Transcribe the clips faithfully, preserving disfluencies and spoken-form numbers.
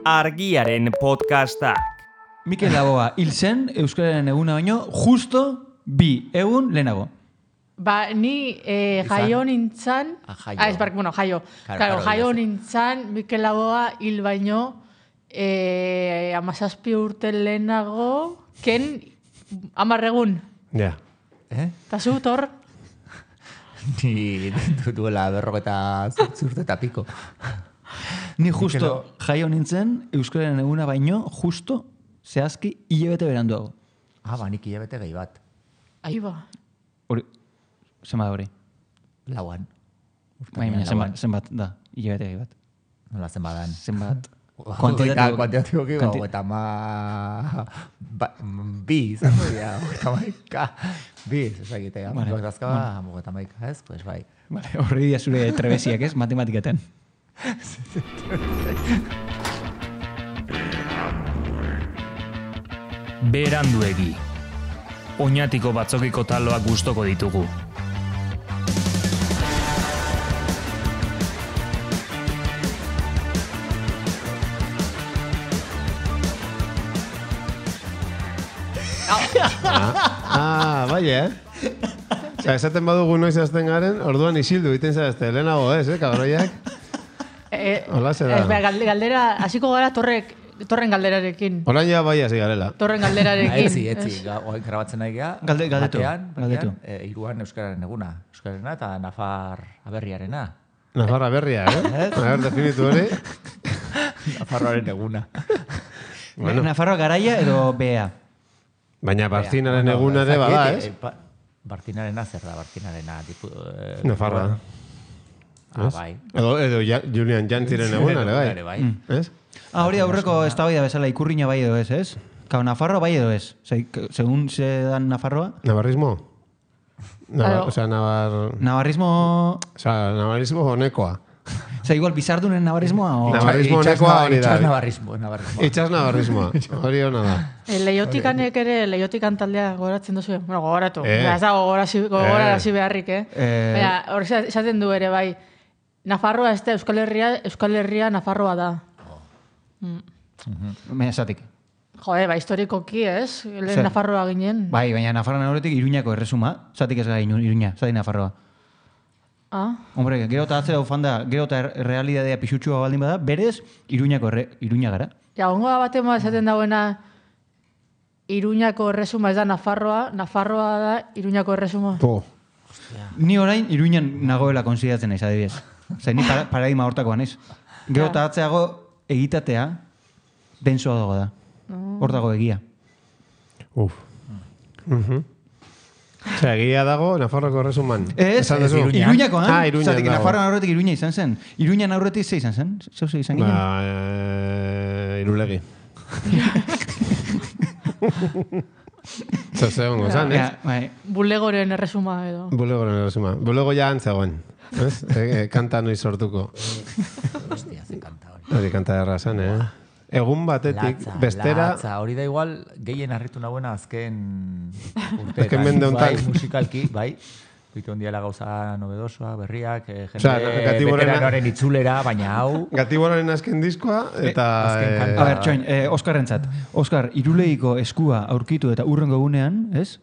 Argiaren podcastak. Mikel Laboa hil zen Euskararen eguna baino justo bi egun lehenago. Ba, ni eh, jaio nintzan... Ah, jaio. Ah, ez, bark, bueno, jaio. Claro, Claro, claro, jaio ya sé. nintzan Mikel Laboa hil baino eh, amazazpi urte lehenago, ken amarregun. Ja. Eh? Eta zu, tor? Ni duela berrogeta zurte eta piko. Ni justo jaio nintzen Euskararen eguna baino justo zehazki hilabete beranduago. Ah, ba, nik hilabete gehi bat. Ahi ba. Hori, zenbat hori? Lauan. Baina, baina, zenbat, zenbat da, hilabete gehi bat. Nola zenbadan. Zenbat. Kuantitatibo. Kuantitatibo ki, Kuanti- eta ma... Ba, bi, zango dira, eta maika. Bi, ez egitea. Vale, Vale. Azkaba, eta maika, ez? Pues bai. Vale, horri dia zure trebesiak ez, matematiketan. Beranduegi. Oñatiko batzokiko taloak gustoko ditugu. Ah, bai, eh? Osa, esaten badugu noiz azten garen, orduan isildu egiten zarazte, lehenago ez, eh, kabroiak? Eh, Hola, ze da. ez, bera, galde- galdera, hasiko gara torrek, torren galderarekin. Orain ja bai hasi garela. Torren galderarekin. Etzi, etzi. ez? Ga- Oain grabatzen nahi geha. Galde- galdetu, Batean, galdetu. batean, eh, hiruan Euskararen eguna. Euskararena eta Nafar aberriarena. Nafarra berria, eh? A ber, definitu hori. Nafarroaren eguna. Bueno. Nafarroa garaia edo bea. Baina Barcinaren Bueno, egun ere ez bada, dakit, ez? eh, ba- Bartinarena zer da, Bartinarena. Tipu, eh, Nafarra. Ah, Ez? bai. Edo, edo ja, Julian Jantziren egun ere, Ere bai. bai. Ez? Ah, hori aurreko eztabaida bezala ikurriña bai edo ez, ez? Kau, Nafarroa bai edo ez? Ose, segun se dan Nafarroa, Navarrismo? Navar, Claro. o sea, Navar... navarrismo... O sea, navarrismo honekoa. Ose, igual bizardunen navarrismoa o... Navar- Navarrismo Itxas honekoa na- hori da. itxas navarrismo, navarrismo. Itxas navarrismoa. Hori hona da. E, Leihotikanek ere, leihiotikan taldea gogoratzen duzu. Bueno, gogoratu. Eh. Eh. Ez da gogorasi, gogorarazi beharrik, eh? Eh. Baina, hor esaten du ere, bai. Nafarroa ez da Euskal Herria, Euskal Herria Nafarroa da. Baina esatik. Jode, ba, historikoki, ez? Lehen Zer? Nafarroa ginen. Bai, baina Nafarroan horretik Iruñako erresuma. Zatik ez gara Inu- Iruña, zatik Nafarroa. Ah, Hombre, gero eta atzera ufan da, gero eta er- realidadea pixutxua baldin bada, berez Iruñako erre, Iruña gara. ja, ongo da batema esaten dauena Iruñako erresuma ez da Nafarroa, Nafarroa da Iruñako erresuma. Po. Ni orain Iruñan nagoela konsideratzen naiz, adibidez. Zer, ni para, paradigma hortakoa naiz. Gero eta atzeago egitatea densoa dago da. Hor dago egia. Uf. Mhm. Osea, egia dago Nafarroko erresuman. Ez, Esan ez duzu? Iruñakoan. Ah, Iruñan Zatik, dago. Nafarroan aurretik Iruña izan zen. Iruñan aurretik ze izan zen? Zeu ze izan ginen? Ba, eh, irulegi. Zer zegoen zan, ez? Ja, bai. Bulegoren erresuma edo. Bulegoren erresuma. Bulego ja antzegoen. Ez? E, e, kanta noiz sortuko. Hostia, ze kanta hori. Hori kanta erra zen, eh? Egun batetik, Latza, bestera... latza. Hori da igual, gehien harritu nagoena azken urteetan. Azken mende hontan. Bai, musikalki, bai. Bitu ondiela gauza nobedosoa, berriak, eh, jende Osea, Gatiborrena- veteranoaren itzulera, baina hau... Gatiboraren azken diskoa, eta... azken eh, kanta. A ber, txoin, eh, Oskarrentzat. Oskar, irulegiko eskua aurkitu eta urrengo egunean, ez?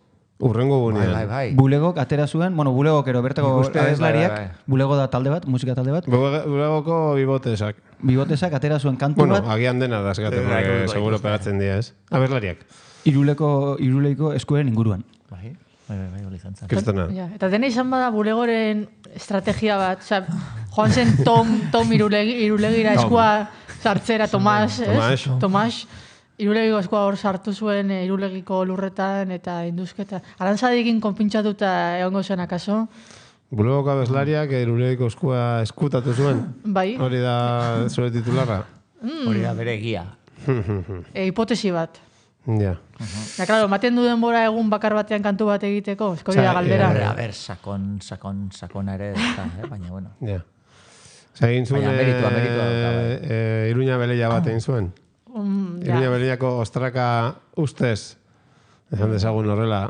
Urrengo Bai, gunean. bai, bai. Bulegok atera zuen, bueno, bulegok ero bertako Nik uste, abeslariak, bai, bai, bai. bulego da talde bat, musika talde bat, Bulegoko bibotesak. bibotesak atera zuen kantu Bueno, bat, agian dena da, eskate, Bai, bai, porque bai, seguro bai. pegatzen dira, ez? Aberlariak. iruleko, iruleiko eskuen inguruan. Bai, bai, bai, bai, hori izan zen. Kristona. Ja, eta dena izan bada bulegoren estrategia bat. Osea, joan zen Tom, Tom irulegi, irulegira eskua sartzera, Tomas, ez? Tomas. Tomas. Irulegiko eskua hor sartu zuen e, irulegiko lurretan eta induzketa. Arantzadikin konpintxatuta egongo zen akaso. Bulegoko abeslariak irulegiko eskua eskutatu zuen. Bai, Hori da zure titularra. Hori da bere egia. e, hipotesi bat. Ja. Ja, claro, maten du denbora egun bakar batean kantu bat egiteko, esko hori da Osea, galdera. A ber, sakon, sakon, sakona ere, ez da, eh? Baina, bueno. Ja. Osa, egin zuen... Baina meritua, meritua dauka, bai. eh, eh, Iruña beleia bat egin zuen. Mm, ja. Iruña beleiako ostraka ustez. Esan dezagun horrela.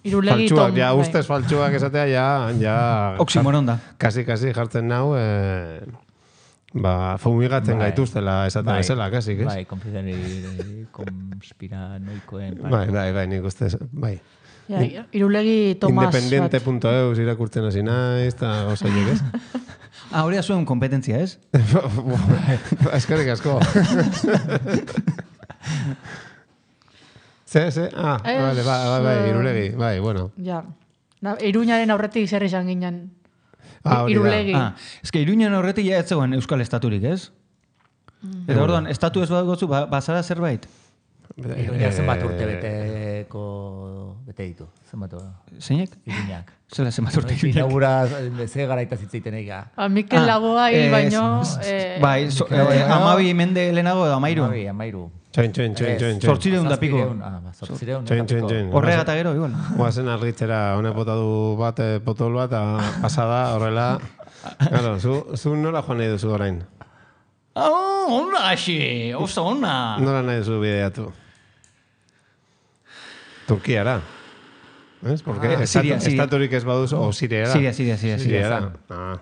Irulegi Faltsuak, Tom, ja, bai. ustez faltsuak esatea, ja... ja Oximoron da. Kasi, kasi jartzen nau... Eh, ba, fumigatzen Bai. gaituztela esaten bezala, kasik, ez? Bai, konfideri, konspiranoikoen. Bai, bai, bai, nik uste, bai. Ja, irulegi Tomas bat. Independiente punto eus irakurtzen hasi naiz, eta gauzaiek, ez? Ah, hori da zuen kompetentzia, ez? Eskerrik asko. Ze, ze, ah, Ez, vale, bai, bai, bai, eh, irulegi, bai, bueno. Ja. Da, Iruñaren aurretik zer izan ginen. Ah, hori da. Irulegi. Ah, ez que Iruñan horretik ja ez zegoen Euskal Estaturik, ez? Eta orduan, estatu ez bat gotzu, ba, bazara zerbait? Iruñak zenbat Eh, urte beteko bete ditu, zenbat Zeinek? Iruñak. Zela zenbat urte Noiz inaugura, ze garaita zitzeiten ega. A Mikel Lagoa hil eh, baino... s- eh, Bai, so, Mikel eh, Lagoa. amabi mende lehenago edo amairu. Amabi, amairu. Txoin, txoin, txoin, txoin, txoin. Zortzireun da piko. Zazpireun, ah, ba, zortzireun Txoin, eta txoin, piko. txoin. Horrega eta gero, igual. Guazen argitzera, honek bota du bat, eh, potol bat, eta pasada, horrela. Claro, zu, zu nola joan nahi duzu orain? Oh, ona hasi, oso ona. Nola nahi duzu bideatu? Turkiara. ¿Ves? Porque Ah, Siria, Siria. estaturik ez baduzu, o Siriara. Siria, Siria, Siria, Siria. Siriara. Ah.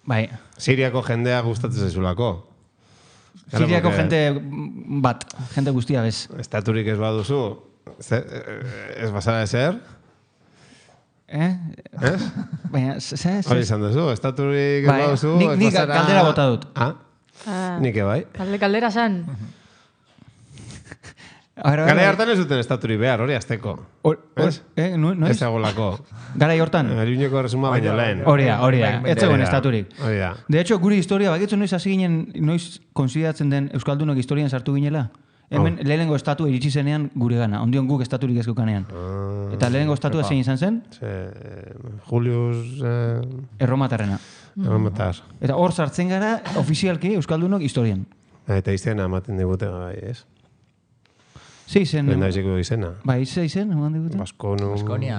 Bai, Siriako jendea gustatzen zaizulako. Claro, Siriako porque jente bat, jente guztia bez. Estaturik ez baduzu, ze, eh, ez bazara ezer, Eh? ez? Baina, ze, ze, Hori ze. izan duzu, estaturik ez Bai, baduzu, nik- ez nik bazara... galdera bota dut. Ah, Ah, nik bai. Kalde kaldera zan. Ara, Gara hartan ez duten estaturik behar, hori azteko. Hor, hor, Ez? eh, no, no Ez ez? egolako. Gara hortan. Eriuneko resuma baino lehen. Hori da, hori da. Ez zegoen Hori da, estaturik. Hori da. De hecho, gure historia, bakitzu noiz hasi ginen, noiz konsideratzen den Euskaldunok historian sartu ginela? Hemen lehenengo estatu iritsi zenean gure gana, ondion guk estaturik ezkukanean. Eta lehenengo estatua zein izan zen? Ze, Julius... Eh, Erromatarrena. Erromatar. Eta hor sartzen gara, ofizialki Euskaldunok historian. Eta izena ematen digute, bai, ez? Ze izen... Lehendabiziko izena. Bai, ze izen, eman digute. Baskonu... Baskonia.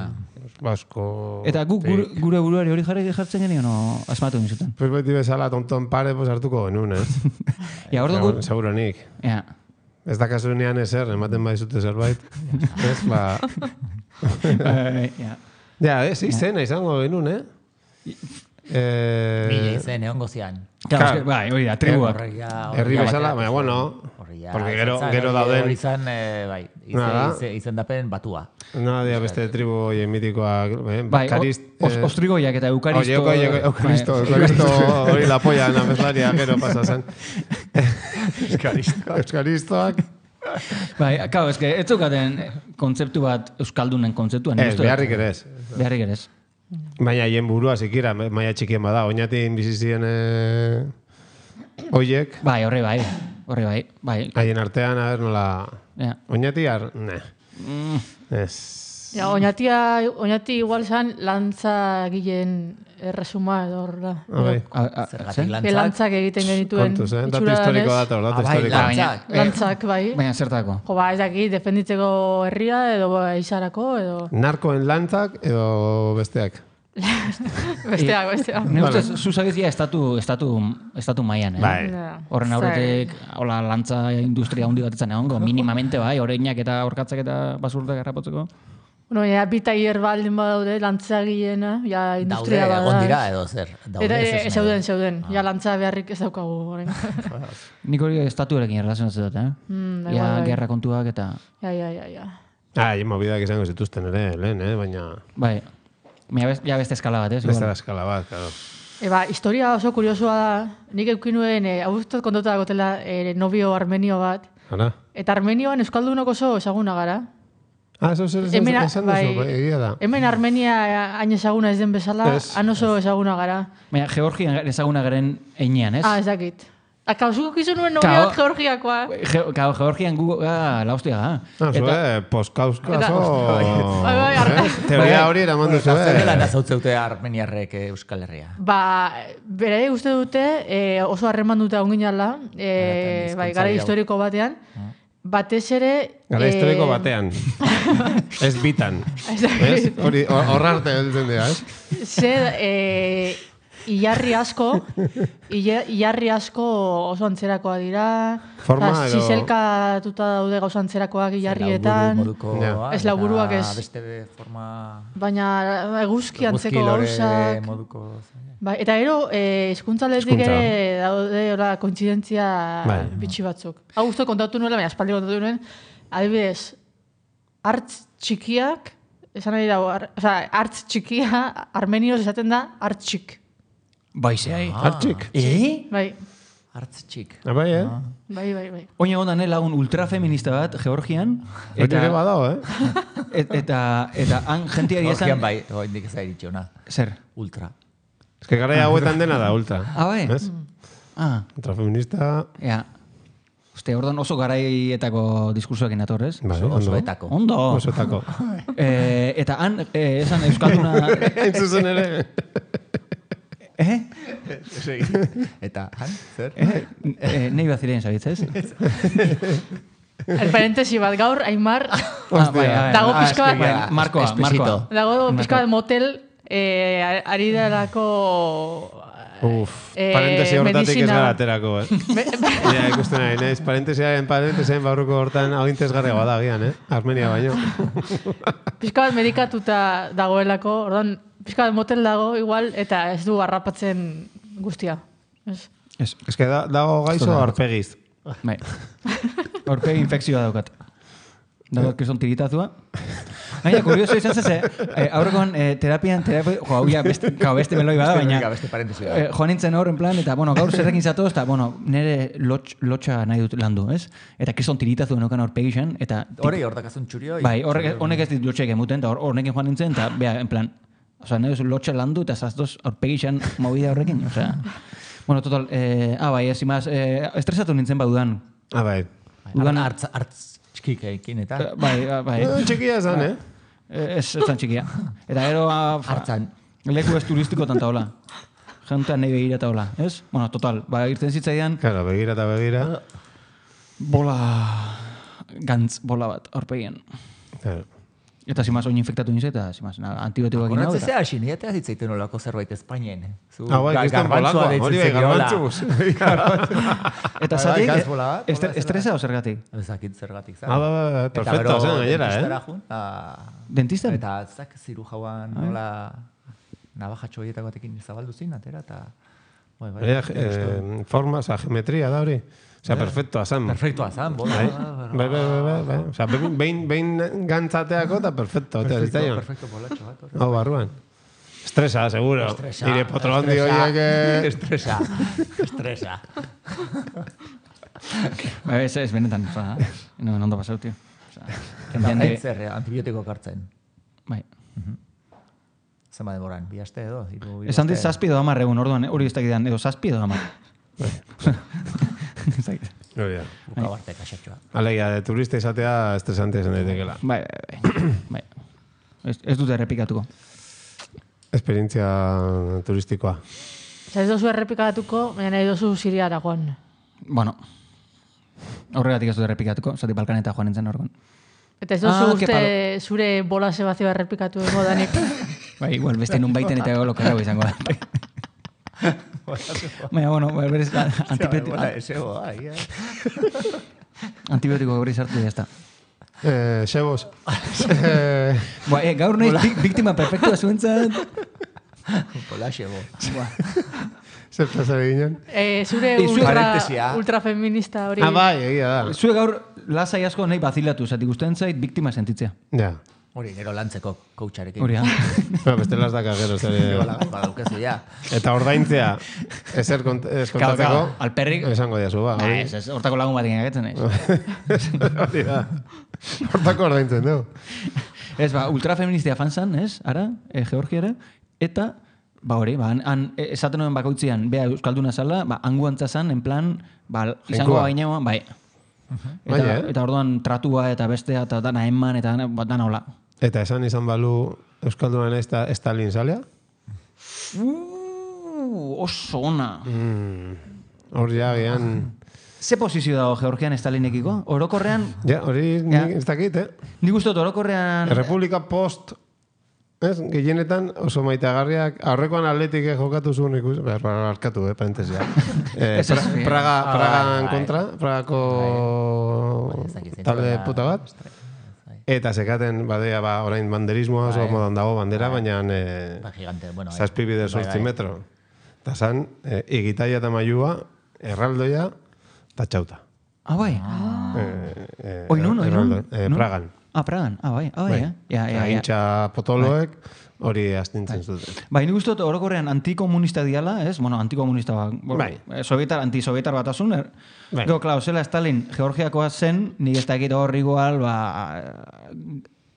Basko... Eta guk gure, gure buruari hori jarri jartzen genio, no, asmatu nizuten. Pues beti bezala tonton pare, pues hartuko genuen, ez? Ja, hor dugu... Seguro nik. Ja. Ez da kasunean ezer, ematen baizute zerbait. Ez, ba... Bai, ja. Ja, ez, izena izango genuen, eh? Eh... Mila izen, egon gozian. Claro, es que, bai, hori da, tribuak. Herri bezala, baina, bueno, porque gero, gero dauden... Hori izan, eh, bai, Nada. izen, izen dapen batua. No, dia beste tribu oie mitikoak, eh? Bai, Bakarist... os, ostrigoiak eta eukaristo... Oye, oye, eukaristo, eukaristo, hori la polla, nabeslaria, gero pasa zen. Euskaristoak. Euskaristoak. Bai, claro, es que ez zukaten kontzeptu bat euskaldunen kontzeptuan. Ez, beharrik ere ez. Beharrik ere ez. Baina hien burua zikira, maia txikien bada. Oinatin bizizien eh, oiek, Bai, horre bai, horre bai, bai. haien artean, a ver, nola... Ja. Oinati, ar... Ne. Ez... Ja, oinatia, oinati igual zan lantza gilen erresuma edo horra. Ah, bai. A, a, Zergatik zer? Ke lantzak. lantzak egiten genituen. Kontuz, eh? Datu itxura historiko danez. dator, datu Ah, bai, historiko. lantzak. Eh, Lantzak, bai. Baina zertako. Jo, ba, ez daki, defenditzeko herria edo ba, izarako edo... Narkoen lantzak edo besteak. Besteak, besteak. Ne ustez, zuzagizia estatu, estatu, estatu mailan, eh? Bai. Ja. Horren aurretik, hola, lantza industria handi bat etzan egongo, minimamente bai, oreinak eta orkatzak eta basurtak harrapotzeko. Bueno, ja, bita hier baldin badaude, lantza gilena, ja, Daude, industria bada. egon dira edo zer. Daude, Eta, ez e, esan zeuden, edo. zeuden. Ja, lantza beharrik ez daukagu. orain. Nik hori estatuarekin erlazionatzen dut, eh? Mm, da Ja, igual, bai. gerra kontuak eta... Ja, ja, ja, ja. Ah, hien mobidak izango zituzten ere, lehen, eh? Baina... Bai, Baina best- ja beste eskala bat, ez? Beste Igual. eskala bat, claro. Eba, historia oso kuriosua da. Nik eukin nuen, e, hau dut kontatu dagotela, e, novio armenio bat. Ara? Eta Armenioan euskaldunok oso ezaguna gara. Ah, eso zer esan Hemen, esan duzu, bai, bai, egia da. Hemen Armenia hain ezaguna ez den bezala, Ez. han oso ezaguna gara. Baina Georgian ezaguna garen einean, ez? Ah, ez dakit. Akauzuko kizu nuen Kao- novio bat georgiakoa. Ge Kao, Georgian gu... Ah, la hostia, ah. Ah, zue, poskauskazo... Bai, bai, arra- Eh, Teoria hori eraman duzu, Zer dela eh? nazautzeutea armeniarrek eh, Euskal Herria. Ba, bere uste dute, e, oso harreman dute onginala, e, Eta bai, hizkuntza gara hau. historiko batean, batez ere... Gara eh, historiko batean. Ez bitan. Ez dakit. Ez? Hori, hor arte heltzen dira, ez? Ze, e, ilarri asko, ila- ilarri asko oso antzerakoa dira, Forma eta edo- zizelkatuta daude gauza antzerakoak ilarrietan, moduko, Ja. Ez laburuak ez. Beste forma... baina eguzki antzeko Eguzki lore gauzak. moduko... Bai, eta gero, eh, hizkuntzaletik Hizkuntza. ere daude ora kointzidentzia Bai. bitxi batzuk. Hau guztu kontatu nuela, baina aspaldi kontatu nuen, adibidez, hartz txikiak, esan nahi dago, ar, oza, hartz txikia, armenioz esaten da hartxik. Bai, zehai. Hartxik. Eh? Bai, Hartz txik. Ah, bai, eh? bai, bai, bai. Oin egon da ne lagun ultrafeminista bat, Georgian. Hori ere badao, eh? et, eta, eta han jentiari Georgian esan... bai, oindik ez da iritxona. Zer? Ultra. Ez que gara hauetan dena da, ultra. Ah, bai? Ez? Ah, Ultrafeminista... ja. Uste, orduan oso garaietako diskursoekin atorrez. Bai, Oso, ondo. osoetako. Ondo. Osoetako. Eh, eta han, eh, esan Euskalduna... Hain zuzen ere. eh? Eta, han, zer? Eh? eh nei baziren, zabitzez? El parentesi bat gaur, Aimar, Ah, bai, bai, Dago ah, pixka bat- eske, bai, Markoa, Espesito. Markoa. dago pixka bat motel, eh, ari delako... Uf, Eh, parentesi hortatik ez medizina. gara aterako, eh? Ja, ikusten nahi, naiz, parentesiaren parentesien barruko hortan agintez garria bada gian, eh? Armenia baino. Pixka bat medikatuta dagoelako, orduan, pixka bat motel dago igual, eta ez du harrapatzen guztia. Ez? Ez, Ez que da, dago gaizo arpegiz. bai. Horpegi infekzioa daukat. Dago, kriston tiritazua. Baina, kurioso izan zeze, eh, aurrekoan eh, terapian, terapia, jo, hau ja, beste, gau, beste meloi bada, baina... Venga, beste parentesi da. Eh, joan nintzen hor, en plan, eta, bueno, gaur zerrekin zatoz, eta, bueno, nire lotx, lotxa nahi dut landu, ez? Eta kriston tiritazu enokan horpegi zen, eta... Hori, hor dakazun txurio. Bai, horrek, honek ez dit lotxek emuten, eta hor- horrekin joan nintzen, eta, bea, en plan, oza, nahi duzu lotxa landu, eta zaztoz horpegi zen movida horrekin, osea... Bueno, total, eh, ah, bai, ez imaz, eh, estresatu nintzen badudan. Ah, bai. Udan- Hartz, hartz txikikekin eta... Eh, Bai, ah, bai. Eh, Txikia esan, eh? Eh, Ez, ez zan txikia. Eta gero... ah, fa- Hartzan. Leku ez turistiko tanta hola. Jentea nahi begira eta hola, ez? Bueno, total, ba, irten zitzaidan, Claro, begira eta begira. bola... Gantz bola bat, horpegien. Claro. Eta zimaz oin infektatu nintzen, eta zimaz, na, antibiotikoak ino. Horretze zea, hasi, niretea zitzaiten olako zerbait Espainien. Zu, Ah, bai, ga- kriston garbantzua polakoa. deitzen Hori bai, zegiola. garbantzuz. Eta Bai, zatik, bai, gazbola bat, estre- hola, estresa o zergatik? Ezakit zergatik, zan. Ah, bai, bai, bai, perfecto, zen gainera, eh? Dentistara jun, ah, Dentistan? Eta zak ziru jauan nola nabajatxo horietako batekin zabaldu zin, atera, eta... Bai, bai, Hori, eh, forma, oza, geometria da hori. Osea, perfecto, azan. Perfektoa zan, bola. Bai, bai, bai, bai, bai, bai. Osea, behin, behin, behin gantzateako eta perfecto, eta ez Perfekto, da perfekto bolatxo bat. hori. Hau, barruan. Estresa, seguro. Estresa. Nire potrondi estresa, horiek... eh, Estresa. Estresa. Ba, ez, ez benetan, oza, no, ondo pasau, tio. Oza, Eta jendean de... zer, eh, antibiotiko kartzen. Bai. Zema demoran, bi aste edo? Hiru, hiru Esan dit aste? zazpi edo hamar egun, orduan, eh, hori ez dakidan, edo zazpi edo hamar. Ez dakit. Hori da. Buka barte kaxatxoa. Alegia, de turista izatea estresante zen daitekela. Bai, bai, bai. bai. Ez, ez dute errepikatuko. Esperientzia turistikoa. Osa, ez dozu errepikatuko, baina nahi dozu Siriara joan. Bueno, horregatik ez dut errepikatuko, zati Balkaneta joan nintzen horregon. Eta ez dozu Ah, que uste zure bola sebazioa errepikatu ego danik. Bai, igual, beste nun baiten eta golo karrago izango da. Baina, bueno, berez, antibiotiko, Bola, esego, ai, eh. antibiotiko gauri sartu ya está. Eh, Xebos. eh, Ba, eh, gaur nahi bik- biktima perfektua zuentzat. Bola, esego. zer pasare ginen? Eh, zure Eh, zure ultra, parentesia. ultrafeminista hori. Ah, bai, egia da. Zue gaur lasai asko nahi bazilatu, zati guztien zait biktima sentitzea. Ja. Hori, nero lantzeko coacharekin. Hori, ha? Ba, beste las daka gero zer. Bola, badaukazu, ja. Eta ordaintzea, ezer kont ez Claro, kontatzeko. claro, alperrik... Esango diazu, ba. Nah, hori. ez, ez, hortako lagun batekin agetzen naiz. Hori da. Hortako ordaintzen, du. Ez, ba, ultrafeministia fan zan, ez, ara, e, Georgiara, eta, ba hori, ba, han, han e, esaten nuen bakoitzian, bea Euskalduna zala, ba, hanguantza zan, en plan, ba, izango Jainkoa. baina, bai. Eta, Bai, eh? eta orduan tratua eta bestea eta dana eman eta dana, ba, dana hola. Eta esan izan balu Euskalduna ez da Stalin zalea? Uh, oso ona. Mm. Hor ja, gian... Ze posizio dago Georgian Stalinekiko? Orokorrean, Ja, hori Ja. nik ez dakit, eh? nik uste dut orokorrean... Errepublika post Ez, gehienetan oso maitagarriak, aurrekoan atletik jokatu zuen ikusi, behar, arkatu, eh, parentesia. eh, pra, Praga, Pragan kontra, Pragako talde puta bat. Eta sekaten, badea, ba, orain banderismoa oso modan dago bandera, baina eh, zazpi bide sortzi metro. Eta zan, eh, igitaia eta mailua, erraldoia, eta txauta. Ah, bai. Eh, eh, Oi, nun, oi, nun? Eh, Pragan. Ah, Pragan. Ah, bai, ah, bai, eh? Ja, ja, ja. Intxa potoloek hori astintzen zuten. Bai, nik uste dut orokorrean antikomunista diala, ez? Bueno, antikomunista, bai. Sovietar, antisovietar bat asun. Er? Bai. Gero, klar, zela Stalin Georgiakoa zen, nik ez dakit hor igual, ba,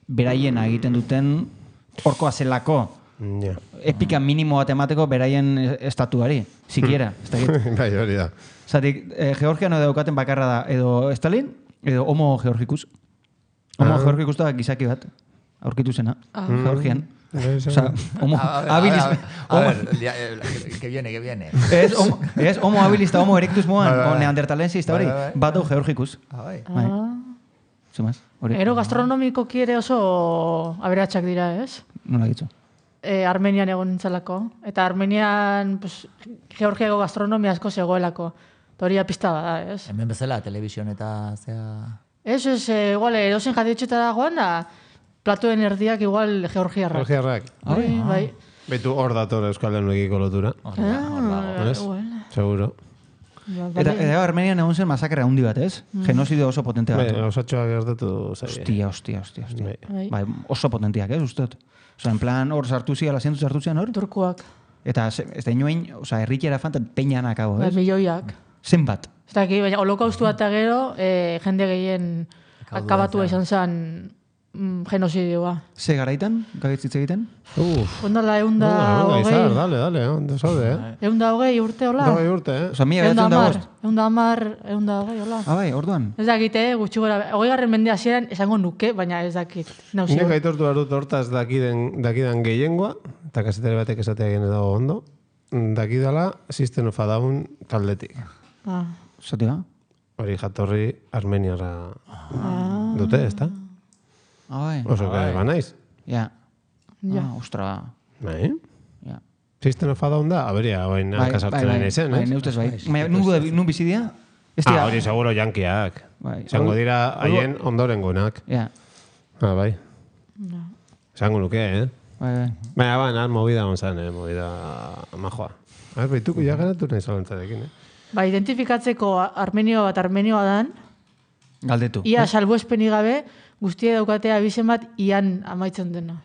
beraien egiten duten horkoa zelako. Ja. Epika minimo bat emateko beraien estatuari, sikiera, ez dakit. Bai, hori da. Zatik, eh, Georgiano daukaten bakarra da, edo Stalin, edo Homo Georgicus. Homo ah. Georgicus da gizaki bat, aurkitu zena, ah. Georgian. Osa, homo habilis... A ver, que viene, que viene. Ez homo, es homo habilis eta homo erectus moan, o neandertalensis eta hori, bat du Georgicus. Ah, bai. Zumaz, hori. Ero gastronomiko kiere oso aberatsak dira, ez? Nola ditzu? Eh, Armenian egon nintzalako. Eta Armenian, pues, Georgiago gastronomia asko zegoelako. Toria pista bada, ez? Hemen bezala, telebizion eta zea... Ez, ez, eh, igual, edozen jatitxetara goan da, platuen erdiak igual georgiarrak. Georgiarrak. Bai, bai. Betu hor dator Euskal Herriekiko lotura. Hor dago. Seguro. Eta, eta Armenian egon zen masakra handi bat, ez? Mm. Genosidio oso potente bat. Bai, osatxoak gertatu zaila. Ostia, ostia, ostia. ostia. Bai. Bai, oso potentiak, ez, ustot? Osa, en plan, hor sartu ziala, zientu sartu zian hor? Turkuak. Eta, ez da inoen, osa, erritxera fantan peñanak hau, ez? Bai, milioiak. Zenbat? Ez da, baina holokaustu bat gero, eh, jende gehien akabatu izan zen mm, genosidioa. Ze garaitan, gagitzitze egiten? Uf. Ondala, eunda hogei. Dale, dale, ondo zaude, eh? Eunda hogei urte, hola? Hogei urte, eh? Osa, mila behatzen da bost? Eunda amar, eunda hogei, hola? Ah, bai, orduan? Ez dakite, gutxi gora, hogei garren mende hasieran esango nuke, baina ez dakit. Nik aitortu barut hortaz dakiden, dakidan gehiengoa, eta kasetare batek esatea gene dago ondo, dakidala System of a Down taldetik. Ah. Zati ba? Hori jatorri armeniara ah. dute, ez da? Ah, bai. Oso ah, bai. Banaiz. Ja. Ja. Ah, ostra. Bai? Ja. System of a Down da? Aberia, bain alkazartzen bai, bai, bai, bai, neustez bai. Nun bizidia? Ah, hori seguro jankiak. Bai. Zango dira haien ondorengonak. Ja. Ah, bai. No. Zango nuke, eh? Bai, bai. Baina, baina, movida gonzan, eh? Movida majoa. A ver, baituko ja ganatu nahi zalantzarekin, eh? Ba, identifikatzeko armenio bat armenioa dan, galdetu. Ia salbuespeni gabe, guztia daukatea abizen bat ian amaitzen dena.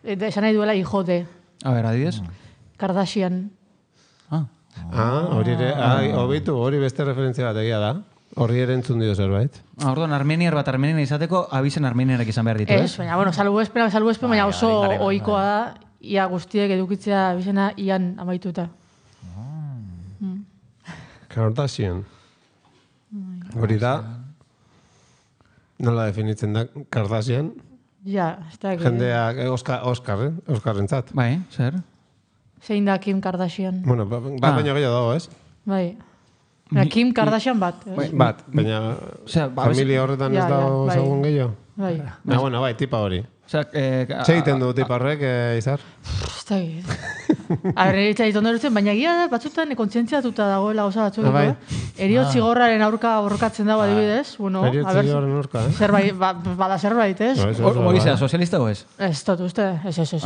Eta esan nahi duela hijo de. A ver, adiez? Kardashian. Ah. Ah, hori ere, hobitu, hori beste referentzia bat egia da. Horri ere entzun dio zerbait. Ah, orduan, armeniar bat armenian izateko, abizen armeniarak izan behar ditu, ez? Ez, baina, bueno, salbuespen, salbuespen, baina oso ohikoa da, ia guztiek edukitzea abizena ian amaituta. Kardashian. Hori da, nola definitzen da Kardashian? Ja, ez da. Jendeak, Oscar, Oscar, eh? Oscarrentzat. Bai, zer? Zein da Kim Kardashian? Bueno, bat ah. baino gehiago dago, ez? Bai. Baina Kim Kardashian bat. Bai, bat, baina familia horretan ez dago ezagun gehiago? Bai. Ah, bueno, bai, tipa hori. Eh, Zeiten du tipa horrek, eh, Izar? Ez da egit. Arreritza ditu ondortzen, baina gira da, batzutan kontzientziatuta dagoela gauza batzuk. Ah, bai. Eriot zigorraren aurka borrokatzen dago adibidez. Bueno, Eriot zigorraren aurka, eh? Zerbait, ba, bada zerbait, ez? Hori zera, sozialista o ez? Ez, tot uste, ez, ez, ez.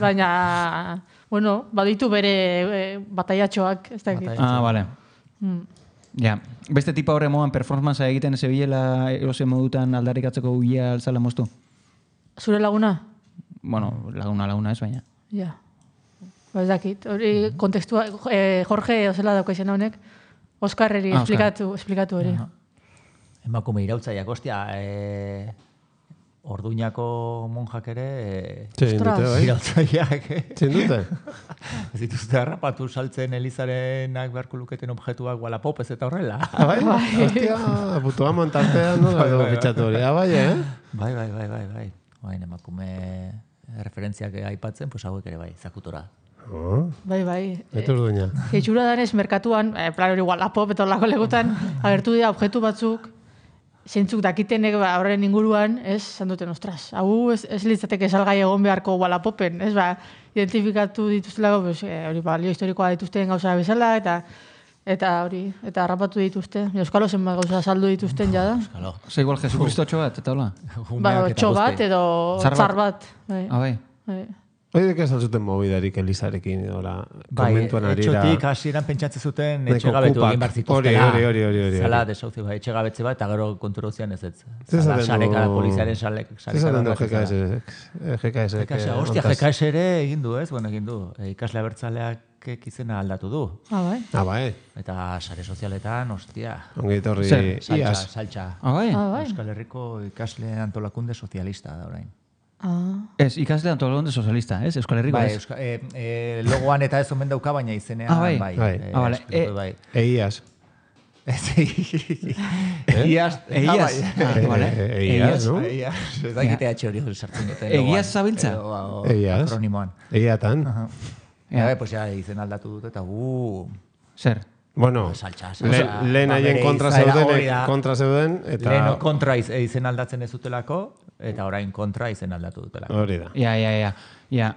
Baina, bueno, baditu bere bataiatxoak, ez da egit. Ah, bale. Ja, beste tipa horre moan performanza egiten ez ebilela erosen modutan aldarrikatzeko uia altzala moztu? Zure laguna? Bueno, laguna laguna ez baina. Ja. Ba ez dakit. Hori kontekstua, eh, Jorge ozela dauka izan honek, Oskarreri ah, esplikatu, Oscar. esplikatu hori. Uh -huh. Emakume irautzaiak, ostia, eh, Orduñako monjak ere... Eh, Txin dute, bai? Irautzaiak, eh? Txin dute? Ez dituzte harrapatu saltzen Elizarenak beharko luketen objektuak Wallapopez eta horrela. Ah, bai? Ostia, putua montartean, no? Bai, pitxatu hori. Ah, bai, eh? Bai, bai, bai, bai, bai. Baina emakume referentziak aipatzen, pues hauek ere bai, zakutora. Oh. Bai, bai. Eta urduina. Itxura danez, merkatuan, eh, plan hori Wallapop eta horlako legutan, agertu dira objektu batzuk, zeintzuk dakitenek ba, horren inguruan, ez, zan duten, ostras, hau ez, ez litzateke salgai egon beharko Walapopen, ez, ba, identifikatu dituztelako, pues, eh, hori, balio historikoa dituzten gauza bezala, eta eta hori, eta harrapatu dituzte. Euskalo zenbat gauza saldu dituzten jada. Euskalo. Zer igual Jesucristo txo bat, eta hola? Ba, txo bat edo txar bat. Ah, bai. Hoi dek ez altzuten mobidarik Elizarekin, ora, konmentuan arira. Bai, etxotik hasieran pentsatzen zuten etxegabetu egin bar zituztela. Hori, hori, hori, hori. Zala, desauzi, bai, etxegabetze bat, eta gero konturozian ez ez. Zala, sareka, poliziaren sareka. Zezaten du G K S? G K S. Hostia, G K S ere egin du, ez? Bueno, egin du. Ikasle abertzaleak izena aldatu du. Ah, bai. Ah, bai. Eta sare sozialetan, hostia. Ongit horri iaz. Saltxa. Ah, bai. Euskal Herriko ikasle antolakunde sozialista da orain. Ah. Ez, ikasle antolakunde sozialista, ez? Euskal Herriko, bai, ez? Euska, e, e, logoan eta ez omen dauka, baina izenean, ah, bai. bai. bai. E, ah, vale. e, bai. Eiaz. Eiaz. Eiaz. Eiaz, no? Eiaz. Ez da gitea txe hori sartzen dute. Eiaz zabiltza? Eiaz. Akronimoan. Eiatan. Ja, pues ya izen aldatu dut eta uh. Zer? Bueno, saltxa, lehen haien kontra zeuden, kontra zeuden, eta... Lehen kontra izen aldatzen ez dutelako, eta orain kontra izen aldatu dutelako. Hori da. Ja, ja, ja. ja.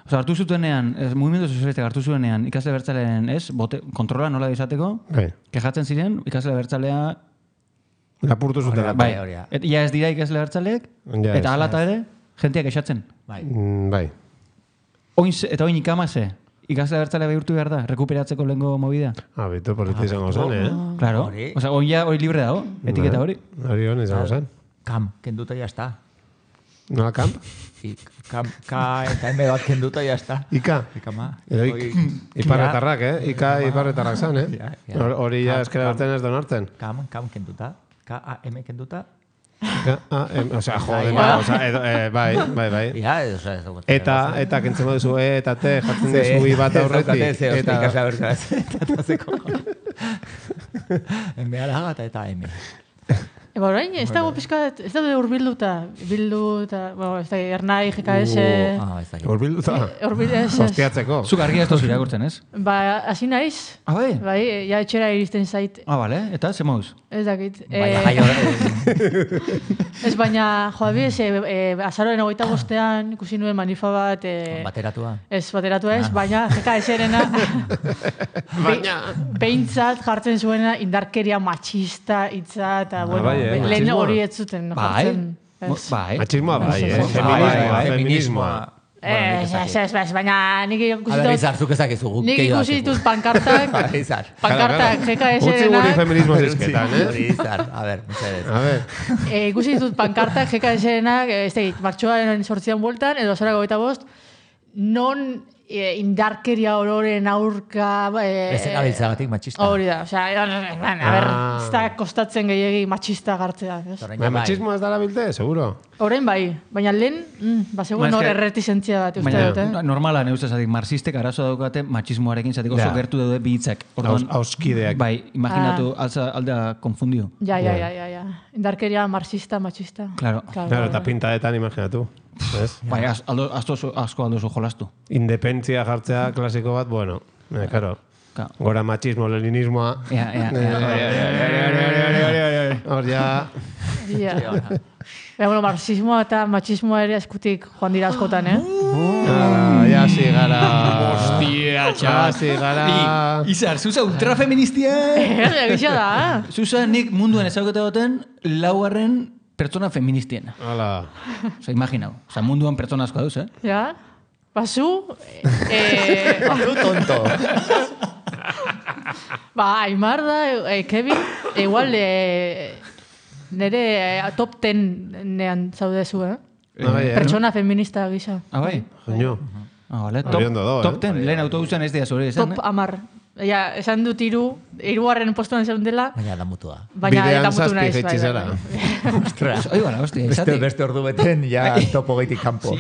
Osa, hartu zutenean, ez, Mugimendu Sozialistak hartu zuenean, ikasle bertzaleen, ez, bote, kontrola nola izateko, bai. Kejatzen ziren, ikasle bertzalea... Lapurtu zutela. Bai, et, ja ez dira ikasle bertzaleek, ja, eta alata ere, jenteak esatzen. Bai. Mm, bai. Oin, eta oin ikamase, ikasle bertzalea bihurtu behar da, rekuperatzeko lehenko movida. Ah, bitu, politi izango zen, eh? Claro, oza, oin ja hori libre dago, etiketa hori. Hori hon izango zen. Kam, kenduta ya está. Nola kamp? Kam, ka, eta eme bat kenduta ya está. Ika? Ika ma. Edo iparretarrak, eh? Ika iparretarrak zan, eh? Hori ja eskera berten ez donartzen. Kam, kam kenduta. K A M kenduta. Ah, em, o sea, joder, o sea, edo, eh, bai, bai, bai. Ja, o sea, eta, eta kentzen moduzu, e, eta te, jartzen dezu i bat aurretik. Eta, ikasle abertzaz, eta zeko. En behar agata eta M. Eba orain, ez dago pizkat, ez dago urbilduta, bildu eta, bueno, ez da, Ernai, G K S... Ah, ez da. Urbilduta? Urbilduta. Hostiatzeko. Zuk argia ez tozu irakurtzen, ez? Ba, hasi naiz. Ah, bai? Bai, ja etxera iristen zait. Ah, bale, eta ze mauz? Ez dakit. Baina jaio... Ez baina, joa biz, azaroren hogeita bostean ikusi nuen manifa bat... Bateratua? Ez, bateratua ez, baina G K S-erena... Baina... Behintzat jartzen zuena indarkeria machista hitza eta, bueno, lehen hori ez zuten jartzen. Bai, machismoa bai, eh? Feminismoa, feminismoa. Ez, ez, ez, ez, baina nik ikusi ditut... Izar, zuk ezakizu guk. Nik ikusi ditut pankartak, pankartak G K S-erenak... Utsi guri feminismo zizketan, eh? Izar, a ver, museres. A ver. Ikusi ditut pankartak G K S-erenak, ez tegit, martxoaren sortzian bueltan, edo azarako goita bost, non... E, indarkeria ororen aurka... E, ez erabiltzagatik machista. Hori da, osea, a ber, ez da kostatzen gehiagi machista gartzea. Baina machismoa ez dara bilte, seguro? Horrein bai, baina lehen, mm, ba, segun hor erretizentzia bat uste dut, eh? Normala, ne ustez, marxistek arazo daukate machismoarekin zatiko oso gertu daude bihitzak. Auskideak. Bai, imaginatu, aldea konfundio. Ja, ja, ja, ja, ja. Indarkeria marxista, machista. Claro. Claro, eta pintadetan imaginatu. Bai, asko aldozu jolastu. Independentzia jartzea klasiko bat, bueno, karo. Gora machismo, leninismoa. Ja, ja, hor ja... Ja, bueno, marxismoa eta machismoa ere eskutik joan dira askotan, eh? Ja, si gara... Hostia, txar. Ja, si gara... Izar, zuza ultrafeministia... Egisa da, eh? Zuza nik munduen ezagute duten laugarren pertsona feministien. Hala. Osa, imaginau. Osa, munduan pertsona asko dauz, eh? Ja. Basu... Eh... Basu tonto. Ba, Aimar da, eh, Kevin, igual, eh, nere eh, top ten nean zaudezu, eh? Ah, bai, pertsona feminista gisa. Ah, bai? Joño. Ah, vale. Top, top ten, lehen autobusan ez dira zure esan, Top amar. Ja, esan dut iru, irugarren postuan esan dela. Baina da mutua. Baina da mutu naiz. Bidean zazpi zara. Ostras. Oi, bala, hostia, beste, beste ordu beten, ja topo gaitik kanpo.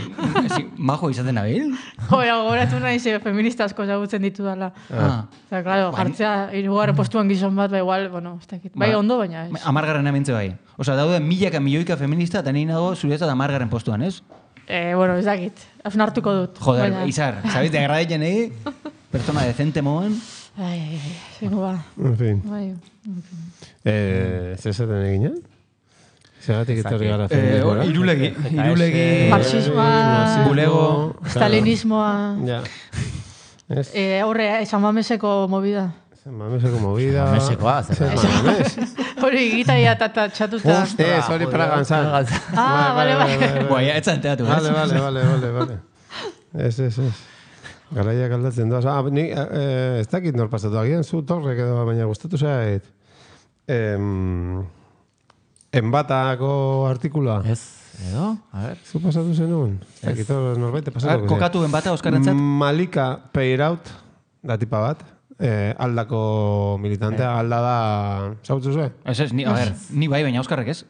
Si, majo izaten nabil? Joa, goratu naiz feminista asko zagutzen ditu dala. Ah. Eta, claro, jartzea irugarren postuan gizon bat, ba igual, bueno, ez dakit. Bai, ondo, baina ez. Amargarren amintze bai. Osa, daude milaka milioika feminista, eta nire nago zuretzat amargarren postuan, ez? Eh, bueno, ez dakit. Hasun hartuko dut. Joder, baina... Izar, sabit, de agradetzen egi, persona decente moan. Ai, ai, ai, zingo ba. En fin. Bai, en fin. Eh, Zezaten eginen? Zeratik etorri gara feminismoa. Irulegi. Irulegi. Marxismoa. Bulego. Stalinismoa. Ja. Horre, San Mameseko movida. San Mameseko movida. San Mamesekoa, zer. Hori gitaia eta txatuta. Ez, hori Pragan zan. Ah, bale, bale. Boa, ja, etzan teatu. Bale, bale, bale, bale, bale. Ez, ez, ez. Garaiak aldatzen doaz. Ah, ni, eh, ez dakit nor pasatu. Agian zu torrek edo, baina gustatu zait. Em, enbatako artikula. Ez, edo, a ver. Zu pasatu zenun? Ez dakit hor norbaite pasatu. Kokatu enbata, Oskarrentzat? Malika Peiraut, da tipa bat. Eh, aldako militantea, alda da... Zautzu zuen? Ez ez, ni, a ver, ni bai, baina Oskarrek ez?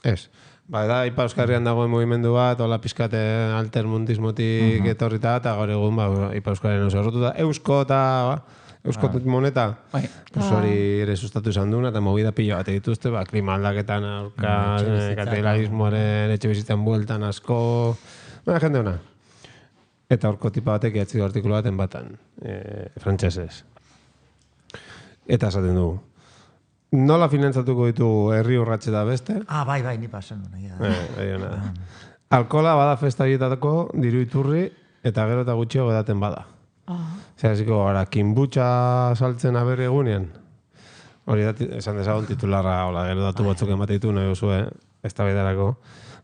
Ez. Ba, da, Ipa Euskarrian dagoen mugimendu bat, hola pizkate altermundismotik uh-huh. etorrita, eta gaur egun, ba, Ipa Euskarrian oso errotu da. Eusko eta, ba, Eusko ah. moneta, bai. Pues hori ere sustatu izan duna, eta movida pilo bat dituzte, ba, klima aldaketan, aurka, mm, kapitalismoaren, etxe bizitzan bueltan asko, baina jende hona. Eta horko tipa batek ehatzik artikulu baten batan, e, frantsesez. Eta esaten dugu. Nola finantzatuko ditugu herri urratxe da beste? Ah, bai, bai, ni pasen duna. Ja. Eh, bai, alkola bada festa hietatako diru iturri eta gero eta gutxio edaten bada. Ah. Zer, hasiko gara, kinbutxa saltzen aberri egunean. Hori da, esan dezagon titularra, hola, gero datu batzuk ematen ditu, nahi oso, eh? Ez da bedarako.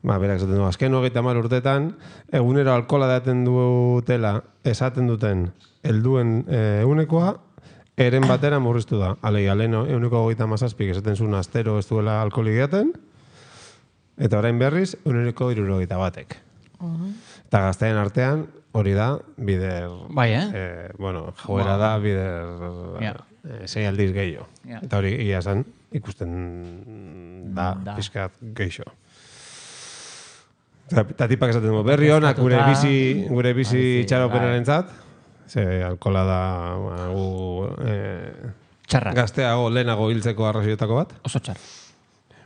Ba, berak esaten du, azken hogeita hamar urtetan, egunero alkola daten dutela, esaten duten, helduen egunekoa, eren batera murriztu da. Alegia, leheno, eguneko hogeita mazazpik esaten zuen astero ez duela alkoholik edaten, eta orain berriz, eguneko irurogeita batek. Uh-huh. Eta gazteen artean, hori da, bider... Bai, eh? eh bueno, joera wow. da, bider... Yeah. Eh, sei aldiz gehiago. Yeah. Eta hori, ia zen, ikusten da, da. Pizkat gehiago. Eta tipak esaten du, berri honak gure bizi, gure bizi txaropenaren zat, ze alkola da gu, eh, gazteago lehenago hiltzeko arrazioetako bat. Oso txarra.